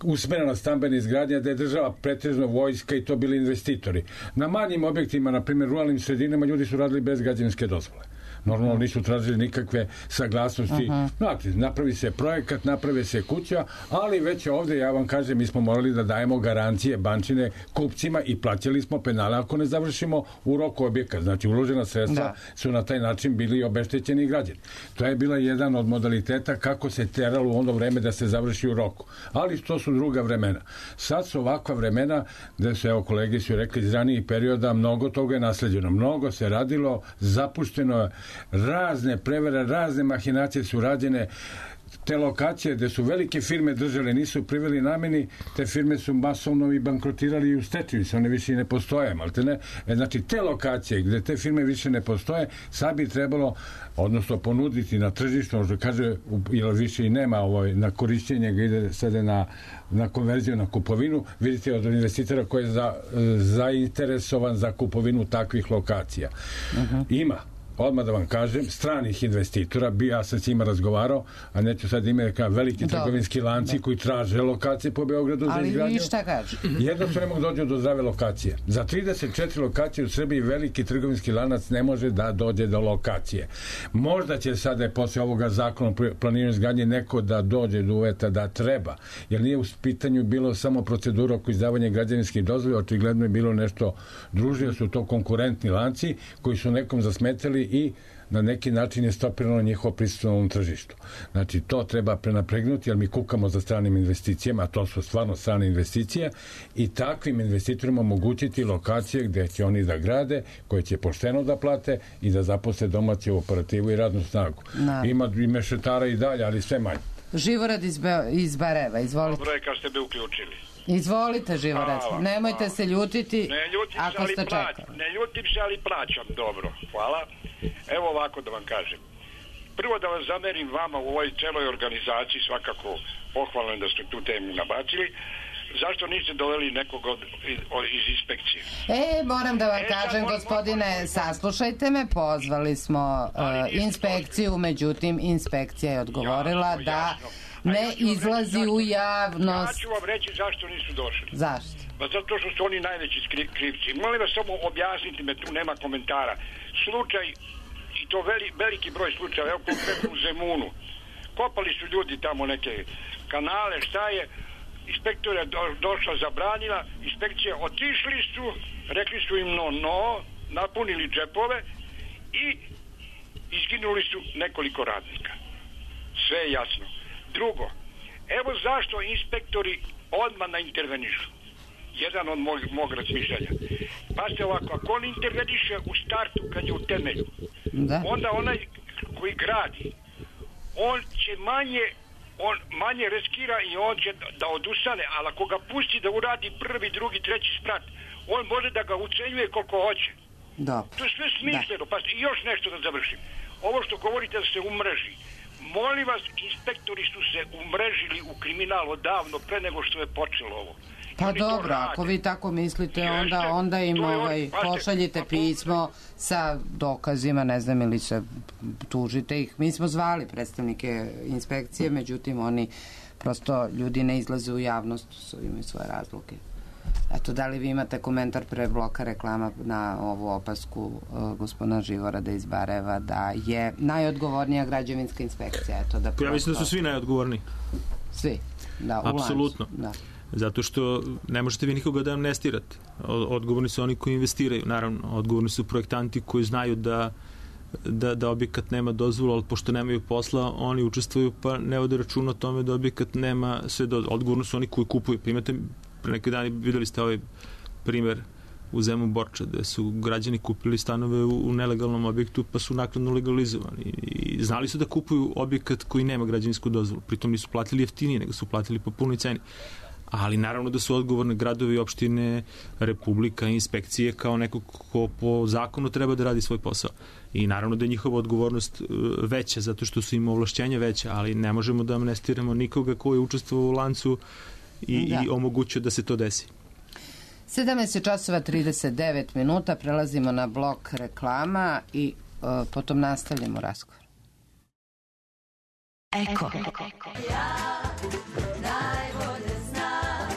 usmerena stambena izgradnja da je država pretežno vojska i to bili investitori. Na manjim objektima, na primjer ruralnim sredinama, ljudi su radili bez građevinske dozvole. Normalno nisu tražili nikakve saglasnosti. Znate, napravi se projekat, napravi se kuća, ali već ovde, ja vam kažem, mi smo morali da dajemo garancije bančine kupcima i plaćali smo penale ako ne završimo u roku objekat. Znači, uložena sredstva su na taj način bili obeštećeni građani. To je bila jedan od modaliteta kako se teralo u ono vreme da se završi u roku. Ali to su druga vremena. Sad su ovakva vremena gde se, evo kolege su rekli iz ranijih perioda, mnogo toga je nasleđeno. Mnogo se radilo, zapušteno, razne prevere, razne mahinacije su rađene. Te lokacije gde su velike firme držale nisu priveli nameni, te firme su masovno i bankrotirali i u stečaju, one više i ne postoje, maltene. Znači, te lokacije gde te firme više ne postoje, sad bi trebalo, odnosno ponuditi na tržištu, što kaže, jer više i nema na korišćenje, ga ide sada na konverziju, na kupovinu, vidite od investitora koji je zainteresovan za kupovinu takvih lokacija. Ima, odmah da vam kažem, stranih investitora, ja sam s njima razgovarao, a neću sad ime veliki trgovinski lanci koji traže lokacije po Beogradu za izgradnju. Ali i šta kaže? Jednostavno ne mogu dođu do zdrave lokacije. Za 34 lokacije u Srbiji veliki trgovinski lanac ne može da dođe do lokacije. Možda će sada posle ovoga zakona o planiranju izgradnje neko da dođe do uveta da treba, jer nije u pitanju bilo samo procedura oko izdavanja građevinskih dozvola, očigledno je bilo nešto družije, su to konkurentni lanci koji su nekom zasmetali i na neki način je stopirano njihovo prisustvo na ovom tržištu. Znači, to treba prenapregnuti, jer mi kukamo za stranim investicijama, a to su stvarno strane investicije, i takvim investitorima omogućiti lokacije gde će oni da grade, koje će pošteno da plate i da zaposle domaću operativu i radnu snagu. Ima i mešetara i dalje, ali sve manje. Živorad iz Bareva, izvolite. Dobro je kad ste me uključili. Izvolite, Živorad, nemojte se ljutiti ako ste čekali. Ne ljutim se, ali plaćam dobro. Hvala. Evo ovako da vam kažem. Prvo da vas zamerim vama u ovoj celoj organizaciji, svakako pohvalno da ste tu temu nabacili. Zašto niste doveli nekog iz inspekcije? Moram da vam kažem, gospodine, saslušajte me, pozvali smo inspekciju, međutim, inspekcija je odgovorila da ne izlazi u javnost. Ja ću vam reći zašto nisu došli. Zašto? Pa zato što su oni najveći krivci. Molim vas samo objasniti me, tu nema komentara. Slučaj, i to veliki broj slučaja, evo konkretno u Zemunu. Kopali su ljudi tamo neke kanale, šta je, inspektor je došla, zabranila, inspekcija, otišli su, rekli su im no, napunili džepove i izginuli su nekoliko radnika. Sve je jasno. Drugo, evo zašto inspektori odmah intervenišu. Jedan od mog razmišljanja. Pa se ovako, ako on interveniše u startu kad je u temelju, onda onaj koji gradi, on će manje riskira i on će da odustane, ali ako ga pusti da uradi prvi, drugi, treći sprat, on može da ga ucenjuje koliko hoće. To je sve smišljeno. Pa i još nešto da završim. Ovo što govorite da se umreži. Molim vas, inspektori su se umrežili u kriminal odavno pre nego što je počelo ovo. Pa dobro, ako vi tako mislite, onda im pošaljite pismo sa dokazima, ne znam, ili se tužite ih. Mi smo zvali predstavnike inspekcije, međutim oni prosto, ljudi ne izlaze u javnost, imaju svoje razloge. Eto, da li vi imate komentar pre bloka reklama na ovu opasku gospodina Živorada iz Bareva da je najodgovornija građevinska inspekcija? Ja mislim da su svi najodgovorniji. Svi? Da, u apsolutno. Zato što ne možete vi nikoga da amnestirate. Odgovorni su oni koji investiraju, naravno. Odgovorni su projektanti koji znaju da objekat nema dozvolu, ali pošto nemaju posla, oni učestvuju pa ne vode računa o tome da objekat nema sve dozvolu. Odgovorni su oni koji kupuju. Primete, pre neki dani videli ste ovaj primer u Zemun Borča, gde su građani kupili stanove u nelegalnom objektu pa su naknadno legalizovani. I znali su da kupuju objekat koji nema građevinsku dozvolu. Pritom nisu platili jeftinije, nego su platili po punoj ceni. Ali naravno da su odgovorne gradovi, opštine, Republika, inspekcije kao neko ko po zakonu treba da radi svoj posao. I naravno da je njihova odgovornost veća, zato što su im ovlašćenja veća, ali ne možemo da amnestiramo nikoga ko je učestvovao u lancu i omogućio da se to desi. 17:39, prelazimo na blok reklama i potom nastavljamo razgovor. Eko. Ja najbolje znam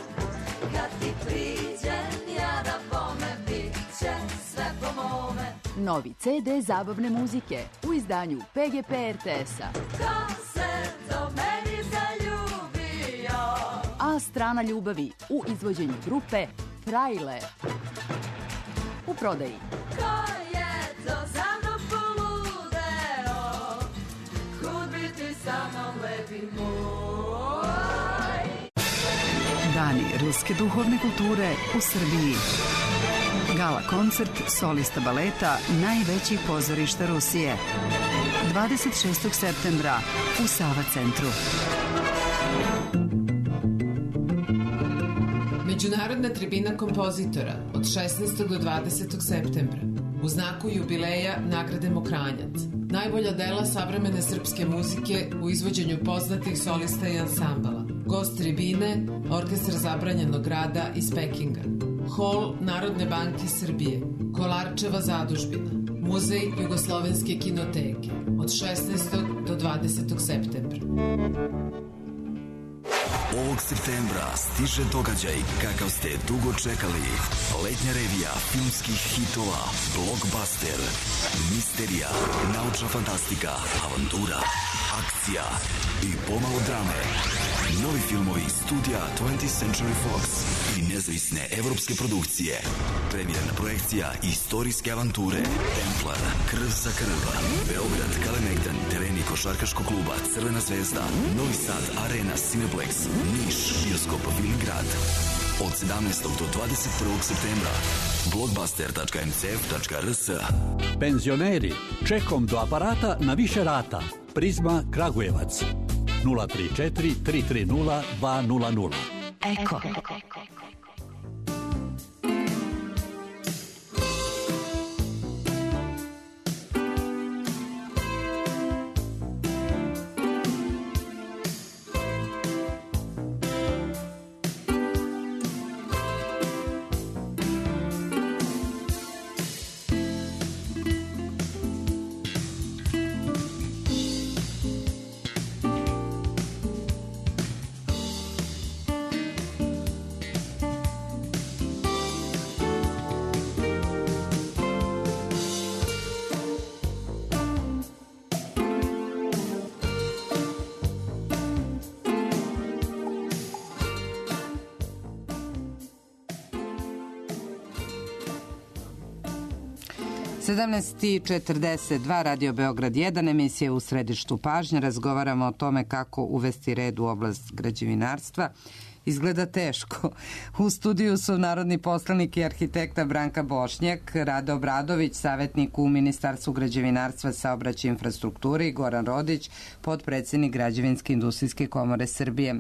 kad ti priđem, ja da bome bit će sve po mome. novi CD zabavne muzike u izdanju PGP RTS-a. Ko se to meni zaljubio? A strana ljubavi u izvođenju grupe Frajle. U prodaji. Ko je to za mnom poludeo? Kud bi ti sa mnom lepi moj? Dani ruske duhovne kulture u Srbiji. Gala koncert solista baleta najvećih pozorišta Rusije. 26. septembra u Sava centru. Međunarodna tribina kompozitora od 16. do 20. septembra. U znaku jubileja nagrade Mokranjac. Najbolja dela savremene srpske muzike u izvođenju poznatih solista i ansambala. Gost tribine, Orkestar zabranjenog rada iz Pekinga. Hol Narodne banke Srbije. Kolarčeva zadužbina. Muzej Jugoslovenske kinoteke. Od 16. do 20. septembra. Ovog septembra stiže događaj kakav ste dugo čekali. Letnja revija filmskih hitova, blockbuster, misterija, naučna fantastika, avantura, akcija i pomalo drame. Novi filmovi studija 20th Century Fox i nezavisne evropske produkcije. Premijerna projekcija istorijske avanture Templar, Krv za krv, Beograd, Kalemegdan, tereni košarkaškog kluba Crvena zvezda, Novi Sad, Arena, Cineplex, Niš, bioskop Filmgrad. Od 17. do 21. septembra. blockbuster.mcf.rs. Penzioneri, čekom do aparata na više rata. Prizma Kragujevac. 034 330 200. Eko. (17:42) Radio Beograd 1, emisija u središtu pažnje. Razgovaramo o tome kako uvesti red u oblast građevinarstva. Izgleda teško. U studiju su narodni poslanik i arhitekta Branka Bošnjak, Rade Obradović, savjetnik u Ministarstvu građevinarstva, saobraćaja i infrastrukture, i Goran Rodić, potpredsednik Građevinske industrijske komore Srbije.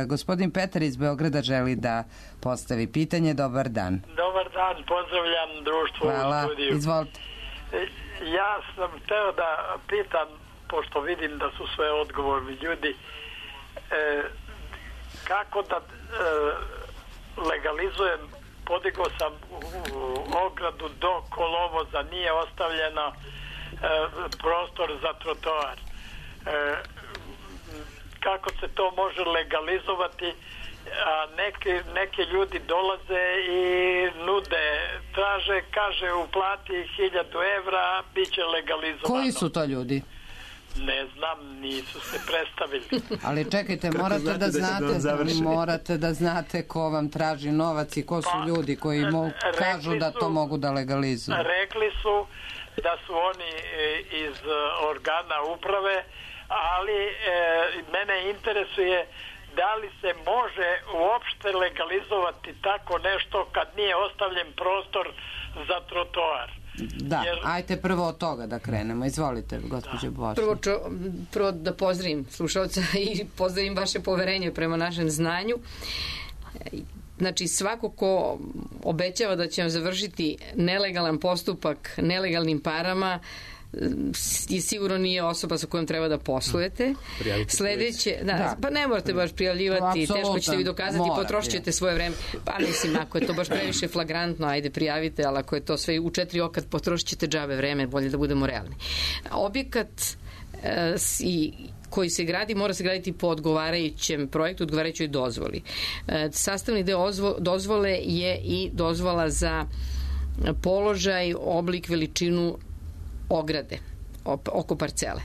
Gospodin Petar iz Beograda želi da postavi pitanje. Dobar dan. Dobar dan, pozdravljam društvo u studiju. Izvolite. Ja sam hteo da pitam, pošto vidim da su sve odgovorni ljudi, kako da legalizujem, podigao sam u ogradu do kolovoza, nije ostavljeno prostor za trotoar. Kako se to može legalizovati? A neki ljudi dolaze i nude, traže, kaže uplati 1000 evra, bit će legalizovano. Koji su to ljudi? Ne znam, nisu se predstavili. Ali čekajte, morate da znate ko vam traži novac i ko su ljudi koji kažu da to mogu da legalizuju. Rekli su da su oni iz organa uprave, ali mene interesuje da li se može uopšte legalizovati tako nešto kad nije ostavljen prostor za trotoar. Da, ajte prvo od toga da krenemo. Izvolite, gospođo Bošnjak. Prvo da pozdravim slušalca i pozdravim vaše poverenje prema našem znanju. Znači, svako ko obećava da će vam završiti nelegalan postupak nelegalnim parama, i sigurno nije osoba sa kojom treba da poslujete. Sledeće, pa ne morate baš prijavljivati, teško ćete vi dokazati, potrošit ćete svoje vreme. Pa mislim, ako je to baš previše flagrantno, ajde prijavite, ali ako je to sve u 4 oka, potrošit ćete džabe vreme, bolje da budemo realni. Objekat koji se gradi mora se graditi po odgovarajućem projektu, odgovarajućoj dozvoli. Sastavni deo dozvole je i dozvola za položaj, oblik, veličinu ograde oko parcele.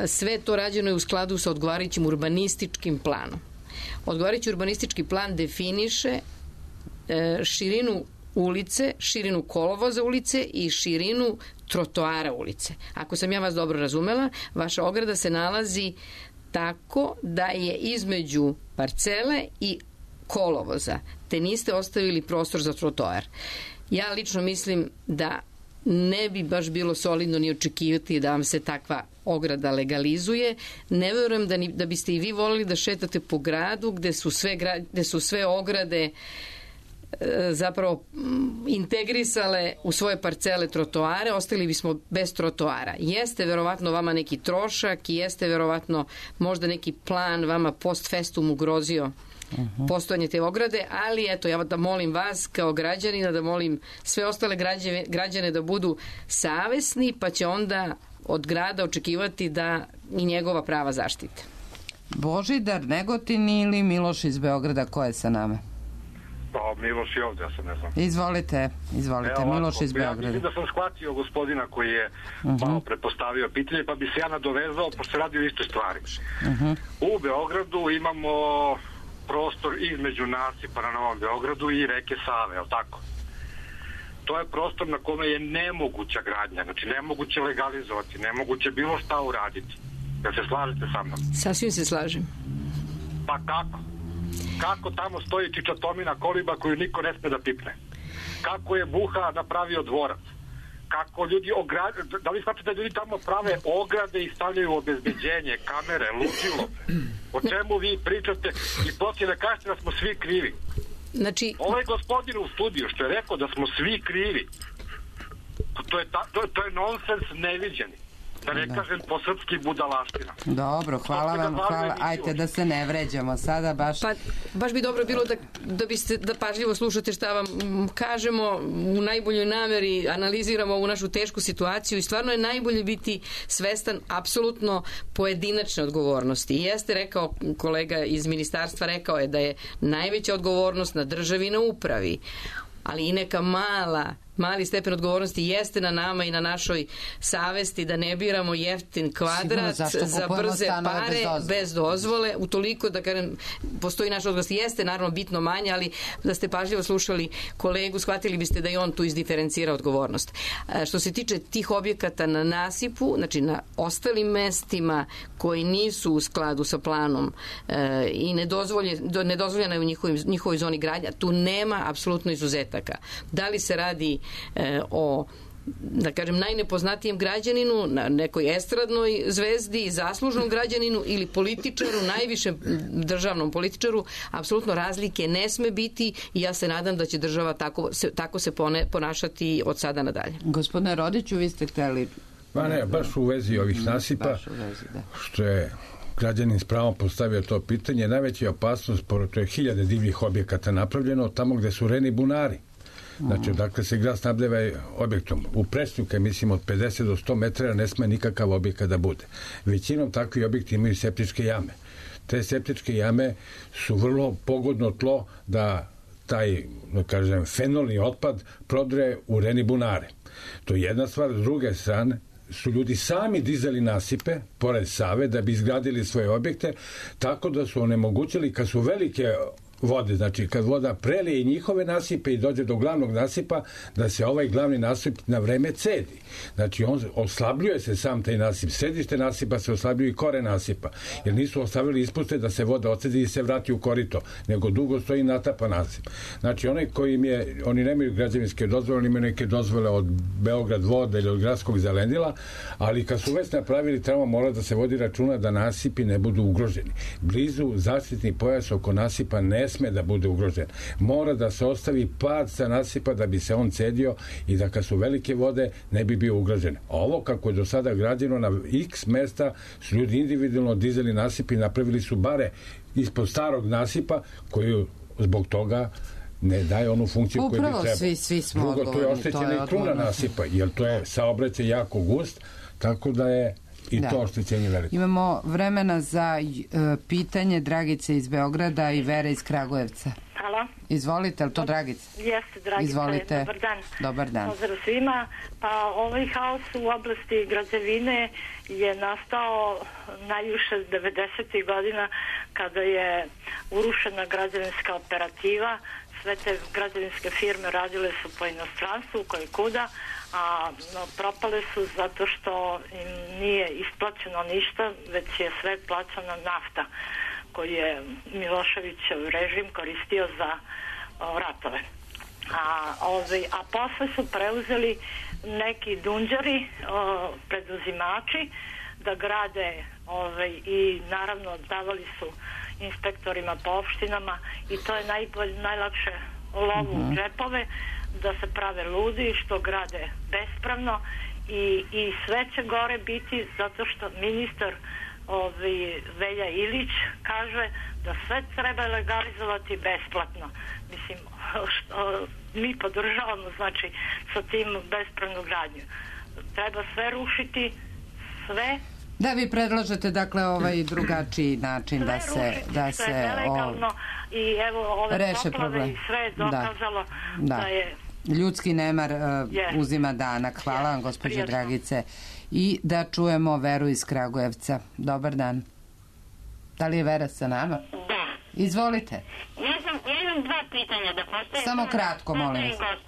Sve to rađeno je u skladu sa odgovarajućim urbanističkim planom. Odgovarajući urbanistički plan definiše širinu ulice, širinu kolovoza ulice i širinu trotoara ulice. Ako sam ja vas dobro razumela, vaša ograda se nalazi tako da je između parcele i kolovoza, te niste ostavili prostor za trotoar. Ja lično mislim da ne bi baš bilo solidno ni očekivati da vam se takva ograda legalizuje. Ne verujem da biste i vi volili da šetate po gradu gde su sve ograde zapravo integrisale u svoje parcele trotoare, ostali bismo bez trotoara. Jeste verovatno vama neki trošak i jeste verovatno možda neki plan vama post festum ugrozio postojanje te ograde, ali eto, ja da molim vas kao građanina, da molim sve ostale građane da budu savesni, pa će onda od grada očekivati da i njegova prava zaštite. Božidar Negotin ili Miloš iz Beograda, ko je sa nama? Pa, Miloš je ovde, ja se ne znam. Izvolite, Miloš iz Beograda. Ja mislim da sam shvatio gospodina koji je malo prepostavio pitanje, pa bi se ja nadovezao, pošto se radi o istoj stvari. U Beogradu imamo prostor između nasipa na Novom Beogradu i reke Save, je li tako? To je prostor na kome je nemoguća gradnja, znači nemoguće legalizovati, nemoguće bilo šta uraditi. Jel se slažete sa mnom? Sasvim se slažem. Pa kako? Kako tamo stoji čičatomina koliba koju niko ne sme da pipne? Kako je Buha napravio dvorac? Kako ljudi da li shvatate da ljudi tamo prave ograde i stavljaju obezbeđenje, kamere, ludilo? O čemu vi pričate i poslije da kažete da smo svi krivi? Znači... Ovaj gospodin u studiju što je rekao da smo svi krivi, to je nonsens neviđeni. Da ne kažem po srpski budalaština. Dobro, hvala vam, ajte da se ne vređamo sada baš. Pa, baš bi dobro bilo da pažljivo slušate šta vam kažemo, u najboljoj nameri analiziramo ovu našu tešku situaciju i stvarno je najbolje biti svestan apsolutno pojedinačne odgovornosti. I jeste rekao, kolega iz ministarstva rekao je da je najveća odgovornost na državi i na upravi, ali i neka mali stepen odgovornosti jeste na nama i na našoj savesti da ne biramo jeftin kvadrat za brze pare bez dozvole, utoliko da kažem postoji naša odgovornost. Jeste naravno bitno manje, ali da ste pažljivo slušali kolegu, shvatili biste da i on tu izdiferencira odgovornost. Što se tiče tih objekata na nasipu, znači na ostalim mestima koji nisu u skladu sa planom i nedozvoljena je u njihovoj zoni gradnja, tu nema apsolutno izuzetaka. Da li se radi o, da kažem, najnepoznatijem građaninu, na nekoj estradnoj zvezdi, zaslužnom građaninu ili političaru, najvišem državnom političaru, apsolutno razlike ne sme biti i ja se nadam da će država tako se ponašati od sada nadalje. Gospodine Rodiću, vi ste hteli... Ma ne, baš u vezi ovih nasipa, što je građanin s pravom postavio to pitanje, najveća opasnost, to je 1000 divljih objekata napravljeno tamo gde su reni bunari. Znači, dakle se grad snabdeva objektom. U Presnju, kad mislim od 50 do 100 metara, ne sme nikakav objekat da bude. Većinom takvi objekti imaju septičke jame. Te septičke jame su vrlo pogodno tlo da taj, da kažem, fenolni otpad prodre u reni bunare. To je jedna stvar. S druge strane, su ljudi sami dizali nasipe pored Save da bi izgradili svoje objekte, tako da su onemogućili, kad su velike vode, znači kad voda prelije njihove nasipe i dođe do glavnog nasipa, da se ovaj glavni nasip na vreme cedi. Znači on oslabljuje se sam taj nasip, središte nasipa se oslabljuje i kore nasipa, jer nisu ostavili ispuste da se voda ocedi i se vrati u korito, nego dugo stoji natapa nasip. Znači oni nemaju građevinske dozvole, oni imaju neke dozvole od Beograd voda ili od gradskog zelendila, ali kad su već napravili, treba mora da se vodi računa da nasipi ne budu ugroženi. Blizu zaštitni pojas oko nasipa ne sme da bude ugrožen. Mora da se ostavi pad sa nasipa da bi se on cedio i da kad su velike vode ne bi bio ugrožen. Ovo kako je do sada građeno na x mesta su ljudi individualno dizali nasip i napravili su bare ispod starog nasipa koji zbog toga ne daje onu funkciju koju bi trebalo. Upravo svi smo odgovorni. Drugo, to je oštećena i kruna nasipa, jer to je saobraćaj jako gust, tako da je i to oštećenje veliko. Imamo vremena za pitanje Dragice iz Beograda i Vere iz Kragujevca. Halo. Izvolite, ali to Dragica? Jeste, Dragica. Izvolite. Dobar dan. Dobar dan. Pozdrav svima. Pa ovaj haos u oblasti građevine je nastao najviše 90. godina kada je urušena građevinska operativa. Sve te građevinske firme radile su po inostranstvu, koje kuda, a propale su zato što im nije isplaćeno ništa, već je sve plaćana nafta koji je Miloševićev režim koristio za ratove. A posle su preuzeli neki dunđari, preduzimači, da grade i naravno davali su inspektorima po opštinama i to je najlakše lovu u džepove, da se prave ludi što grade bespravno i sve će gore biti zato što ministar Velja Ilić kaže da sve treba legalizovati besplatno. Mislim, mi podržavamo znači sa tim bespravnu gradnju. Treba sve rušiti, sve. Da, vi predlažete dakle drugačiji način da se nelegalno i evo ove reše poplave problem. I sve je dokazalo da je ljudski nemar uzima danak. Hvala vam, gospođo Dragice. I da čujemo Veru iz Kragujevca. Dobar dan. Da li je Vera sa nama? Da. Izvolite. Ja imam dva pitanja da postavim. Samo kratko, molim vas.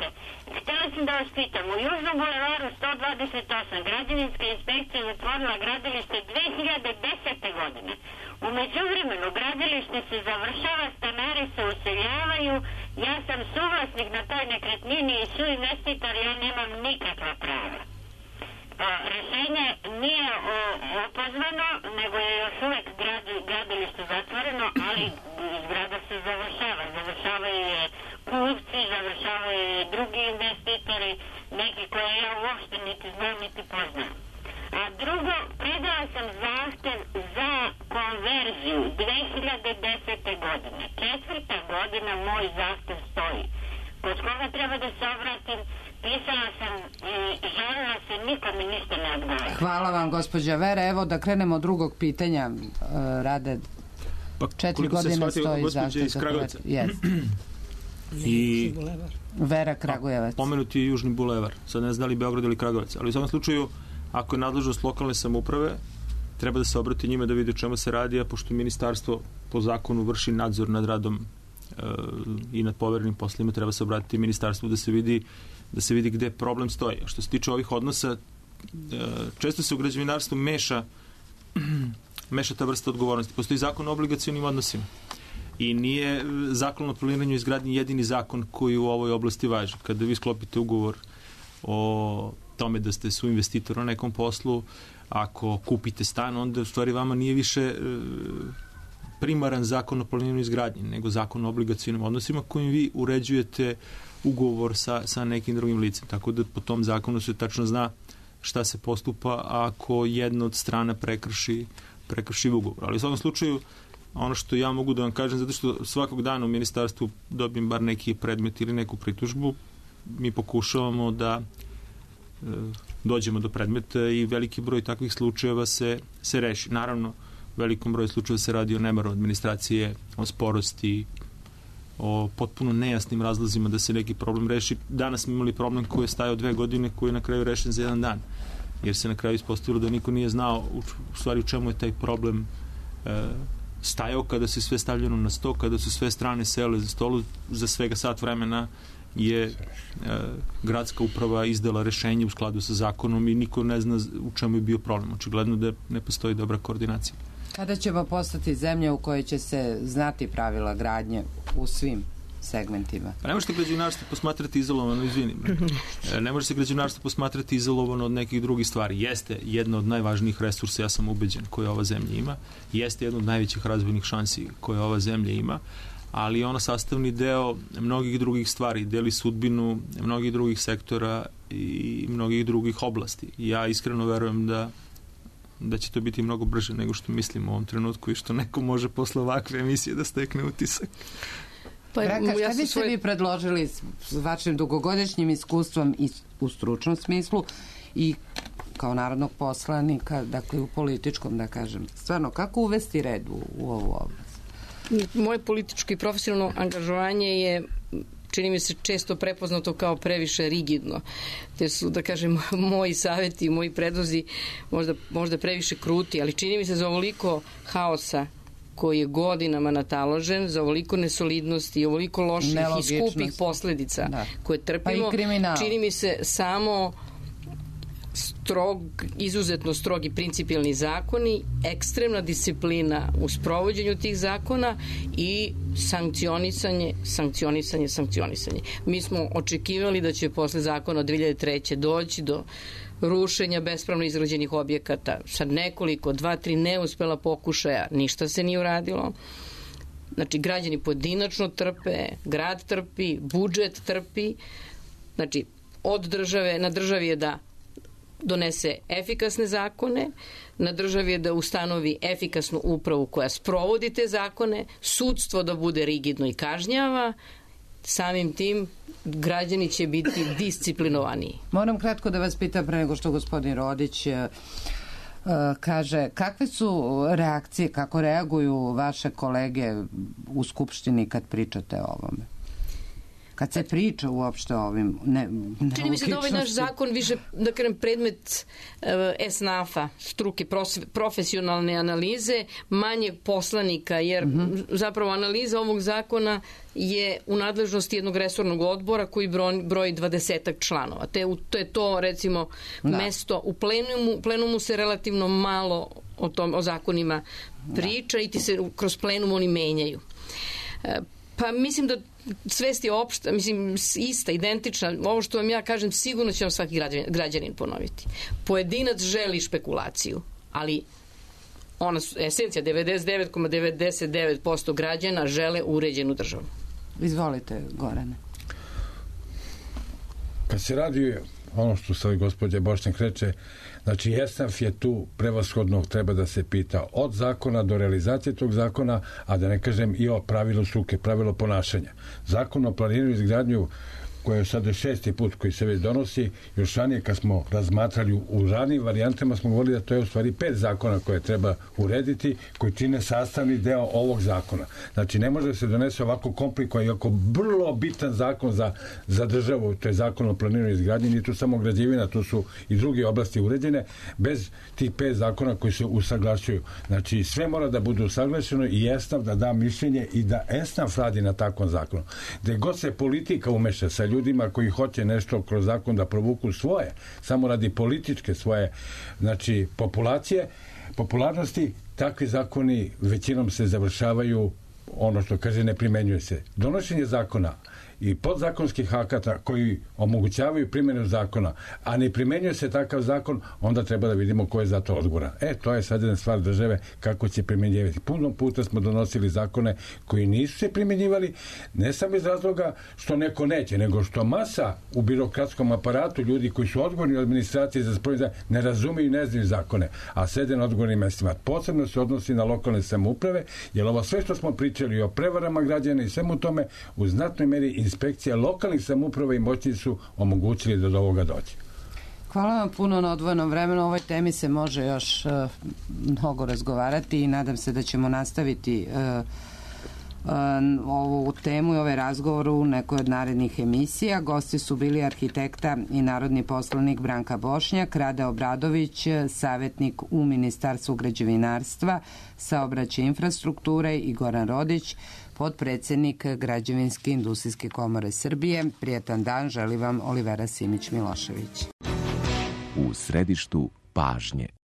Htjela sam da vas pitam, u Južnom bulevaru 128 građevinska inspekcija zatvorila gradilište 2010. godine. U međuvremenu gradilište se završava, stanari se useljavaju, ja sam suvlasnik na toj nekretnini i suinvestitor, ja nemam nikakva prava. Rešenje nije opozvano, nego je još uvek gradilište zatvoreno, ali zgrada se završavaju je kupci, završavaju je drugi investitori, neki koje ja uopšte niti znam niti poznam. A drugo, predala sam zahtev za konverziju 2010. godine. 4. godina moj zahtev stoji. Kod koga treba da se obratim, pisala sam i žalila se, niko mi ništa ne odgovara. Hvala vam, gospođa Vera. Evo da krenemo od drugog pitanja. Rade 4 godine stoji zahtev za konverziju. I Vera Kragujevac. Pomenuti je Južni bulevar. Sad ne znam da li Beograd ili Kragujevac, ali u svakom slučaju, ako je nadležnost lokalne samouprave, treba da se obrati njima da vidi o čemu se radi, a pošto ministarstvo po zakonu vrši nadzor nad radom i nad poverenim poslovima, treba se obratiti ministarstvu da se vidi gde problem stoji. A što se tiče ovih odnosa, često se u građevinarstvu meša ta vrsta odgovornosti. Postoji zakon o obligacionim odnosima i nije zakon o planiranju i izgradnji jedini zakon koji u ovoj oblasti važi. Kada vi sklopite ugovor o tome da ste suinvestitor na nekom poslu, ako kupite stan, onda u stvari vama nije više primaran zakon o planiranju i izgradnji, nego zakon o obligacionim odnosima kojim vi uređujete ugovor sa nekim drugim licem. Tako da po tom zakonu se tačno zna šta se postupa ako jedna od strana prekrši ugovor. Ali u svakom slučaju, ono što ja mogu da vam kažem, zato što svakog dana u ministarstvu dobijem bar neki predmet ili neku pritužbu, mi pokušavamo da dođemo do predmeta i veliki broj takvih slučajeva se reši. Naravno, velikom broju slučajeva se radi o nemaru administracije, o sporosti, o potpuno nejasnim razlozima da se neki problem reši. Danas smo imali problem koji je stajao 2 godine, koji je na kraju rešen za 1 dan, jer se na kraju ispostavilo da niko nije znao u stvari u čemu je taj problem stajao. Kada se sve stavljeno na sto, kada su sve strane sele za stolu, za svega sat vremena je gradska uprava izdala rešenje u skladu sa zakonom i niko ne zna u čemu je bio problem. Očigledno da ne postoji dobra koordinacija. Kada ćemo postati zemlja u kojoj će se znati pravila gradnje u svim segmentima? Pa ne možete građevinarstvo posmatrati izolovano, izvinim. Ne može se građevinarstvo posmatrati izolovano od nekih drugih stvari. Jeste jedna od najvažnijih resursa, ja sam ubeđen, koje ova zemlja ima. Jeste jedna od najvećih razvojnih šansi koje ova zemlja ima, ali je ona sastavni deo mnogih drugih stvari, deli sudbinu mnogih drugih sektora i mnogih drugih oblasti. Ja iskreno verujem da će to biti mnogo brže nego što mislim u ovom trenutku i što neko može posle ovakve emisije da stekne utisak. Šta biste vi predložili s vašim dugogodišnjim iskustvom i u stručnom smislu i kao narodnog poslanika, dakle u političkom, da kažem, stvarno, kako uvesti red u ovu oblast? moje političko i profesionalno angažovanje je, čini mi se, često prepoznato kao previše rigidno. Te su, da kažem, moji savjeti i moji predlozi možda previše kruti, ali čini mi se za ovoliko haosa koji je godinama nataložen, za ovoliko nesolidnosti i ovoliko loših i skupih posledica koje trpimo, čini mi se samo izuzetno strogi principijelni zakoni, ekstremna disciplina u sprovođenju tih zakona i sankcionisanje. Mi smo očekivali da će posle zakona od 2003. doći do rušenja bespravno izgrađenih objekata. Sad nekoliko, 2-3 neuspela pokušaja, ništa se nije uradilo. Znači, građani pojedinačno trpe, grad trpi, budžet trpi. Znači, na državi je da donese efikasne zakone, na državi je da ustanovi efikasnu upravu koja sprovodi te zakone, sudstvo da bude rigidno i kažnjava, samim tim građani će biti disciplinovaniji. Moram kratko da vas pitam pre nego što gospodin Rodić kaže, kakve su reakcije, kako reaguju vaše kolege u Skupštini kad pričate o ovome? Kad se priča uopšte o ovim nelogičnostima. Čini mi se da ovaj naš zakon više, da kažem, predmet SNAF-a, struke, profesionalne analize, manje poslanika, jer zapravo analiza ovog zakona je u nadležnosti jednog resornog odbora koji broji 20 članova. To je to, recimo, mesto u plenumu se relativno malo o zakonima priča i ti se kroz plenum oni menjaju. Pa mislim da svest je opšta, mislim, ista, identična. Ovo što vam ja kažem, sigurno će vam svaki građanin ponoviti. Pojedinac želi špekulaciju, ali esencija 99,99% građana žele uređenu državu. Izvolite, Gorane. Kad se radi ono što se gospođa Bošnjak reče, znači ESNAF je tu prevashodno treba da se pita od zakona do realizacije tog zakona, a da ne kažem i o pravilu struke, pravilo ponašanja. Zakon o planiranju i izgradnju koji je sada 6. put koji se već donosi, još ranije kad smo razmatrali u ranijim varijantama smo govorili da to je u stvari 5 zakona koje treba urediti, koji čine sastavni deo ovog zakona. Znači ne može da se donese ovako komplikovan i ovako vrlo bitan zakon za državu, to je zakon o planiranju i izgradnji, nije tu samo građevina, tu su i druge oblasti uređene, bez tih 5 zakona koji se usaglašuju. Znači sve mora da bude usaglašeno i ESNAF da da mišljenje i da ESNAF radi na takvom zakonu. Gde god se politika umeša sa ljudima koji hoće nešto kroz zakon da provuku svoje, samo radi političke svoje, znači popularnosti, takvi zakoni većinom se završavaju, ono što kaže, ne primenjuje se. Donošenje zakona i podzakonskih akata koji omogućavaju primjenu zakona, a ne primenjuje se takav zakon, onda treba da vidimo ko je za to odgovoran. To je sad jedna stvar države kako će primjenjivati. Puno puta smo donosili zakone koji nisu se primjenjivali, ne samo iz razloga što neko neće, nego što masa u birokratskom aparatu, ljudi koji su odgovorni u administraciji za sprovođenje, ne razumiju i ne znaju zakone, a sede na odgovornim mestima. Posebno se odnosi na lokalne samouprave, jer ovo sve što smo pričali o prevarama građana i svemu tome, u znatnoj meri inspekcija lokalnih samouprava i moćni su omogućili da do ovoga dođe. Hvala vam puno na odvojenom vremenu. O ovoj temi se može još mnogo razgovarati i nadam se da ćemo nastaviti ovu temu i ovaj razgovor u nekoj od narednih emisija. Gosti su bili arhitekta i narodni poslanik Branka Bošnjak, Rade Obradović, savjetnik u Ministarstvu građevinarstva, saobraćaja i infrastrukture, i Goran Rodić, potpredsednik Građevinske industrijske komore Srbije. Prijatan dan želi vam Olivera Simić Milošević. U središtu pažnje.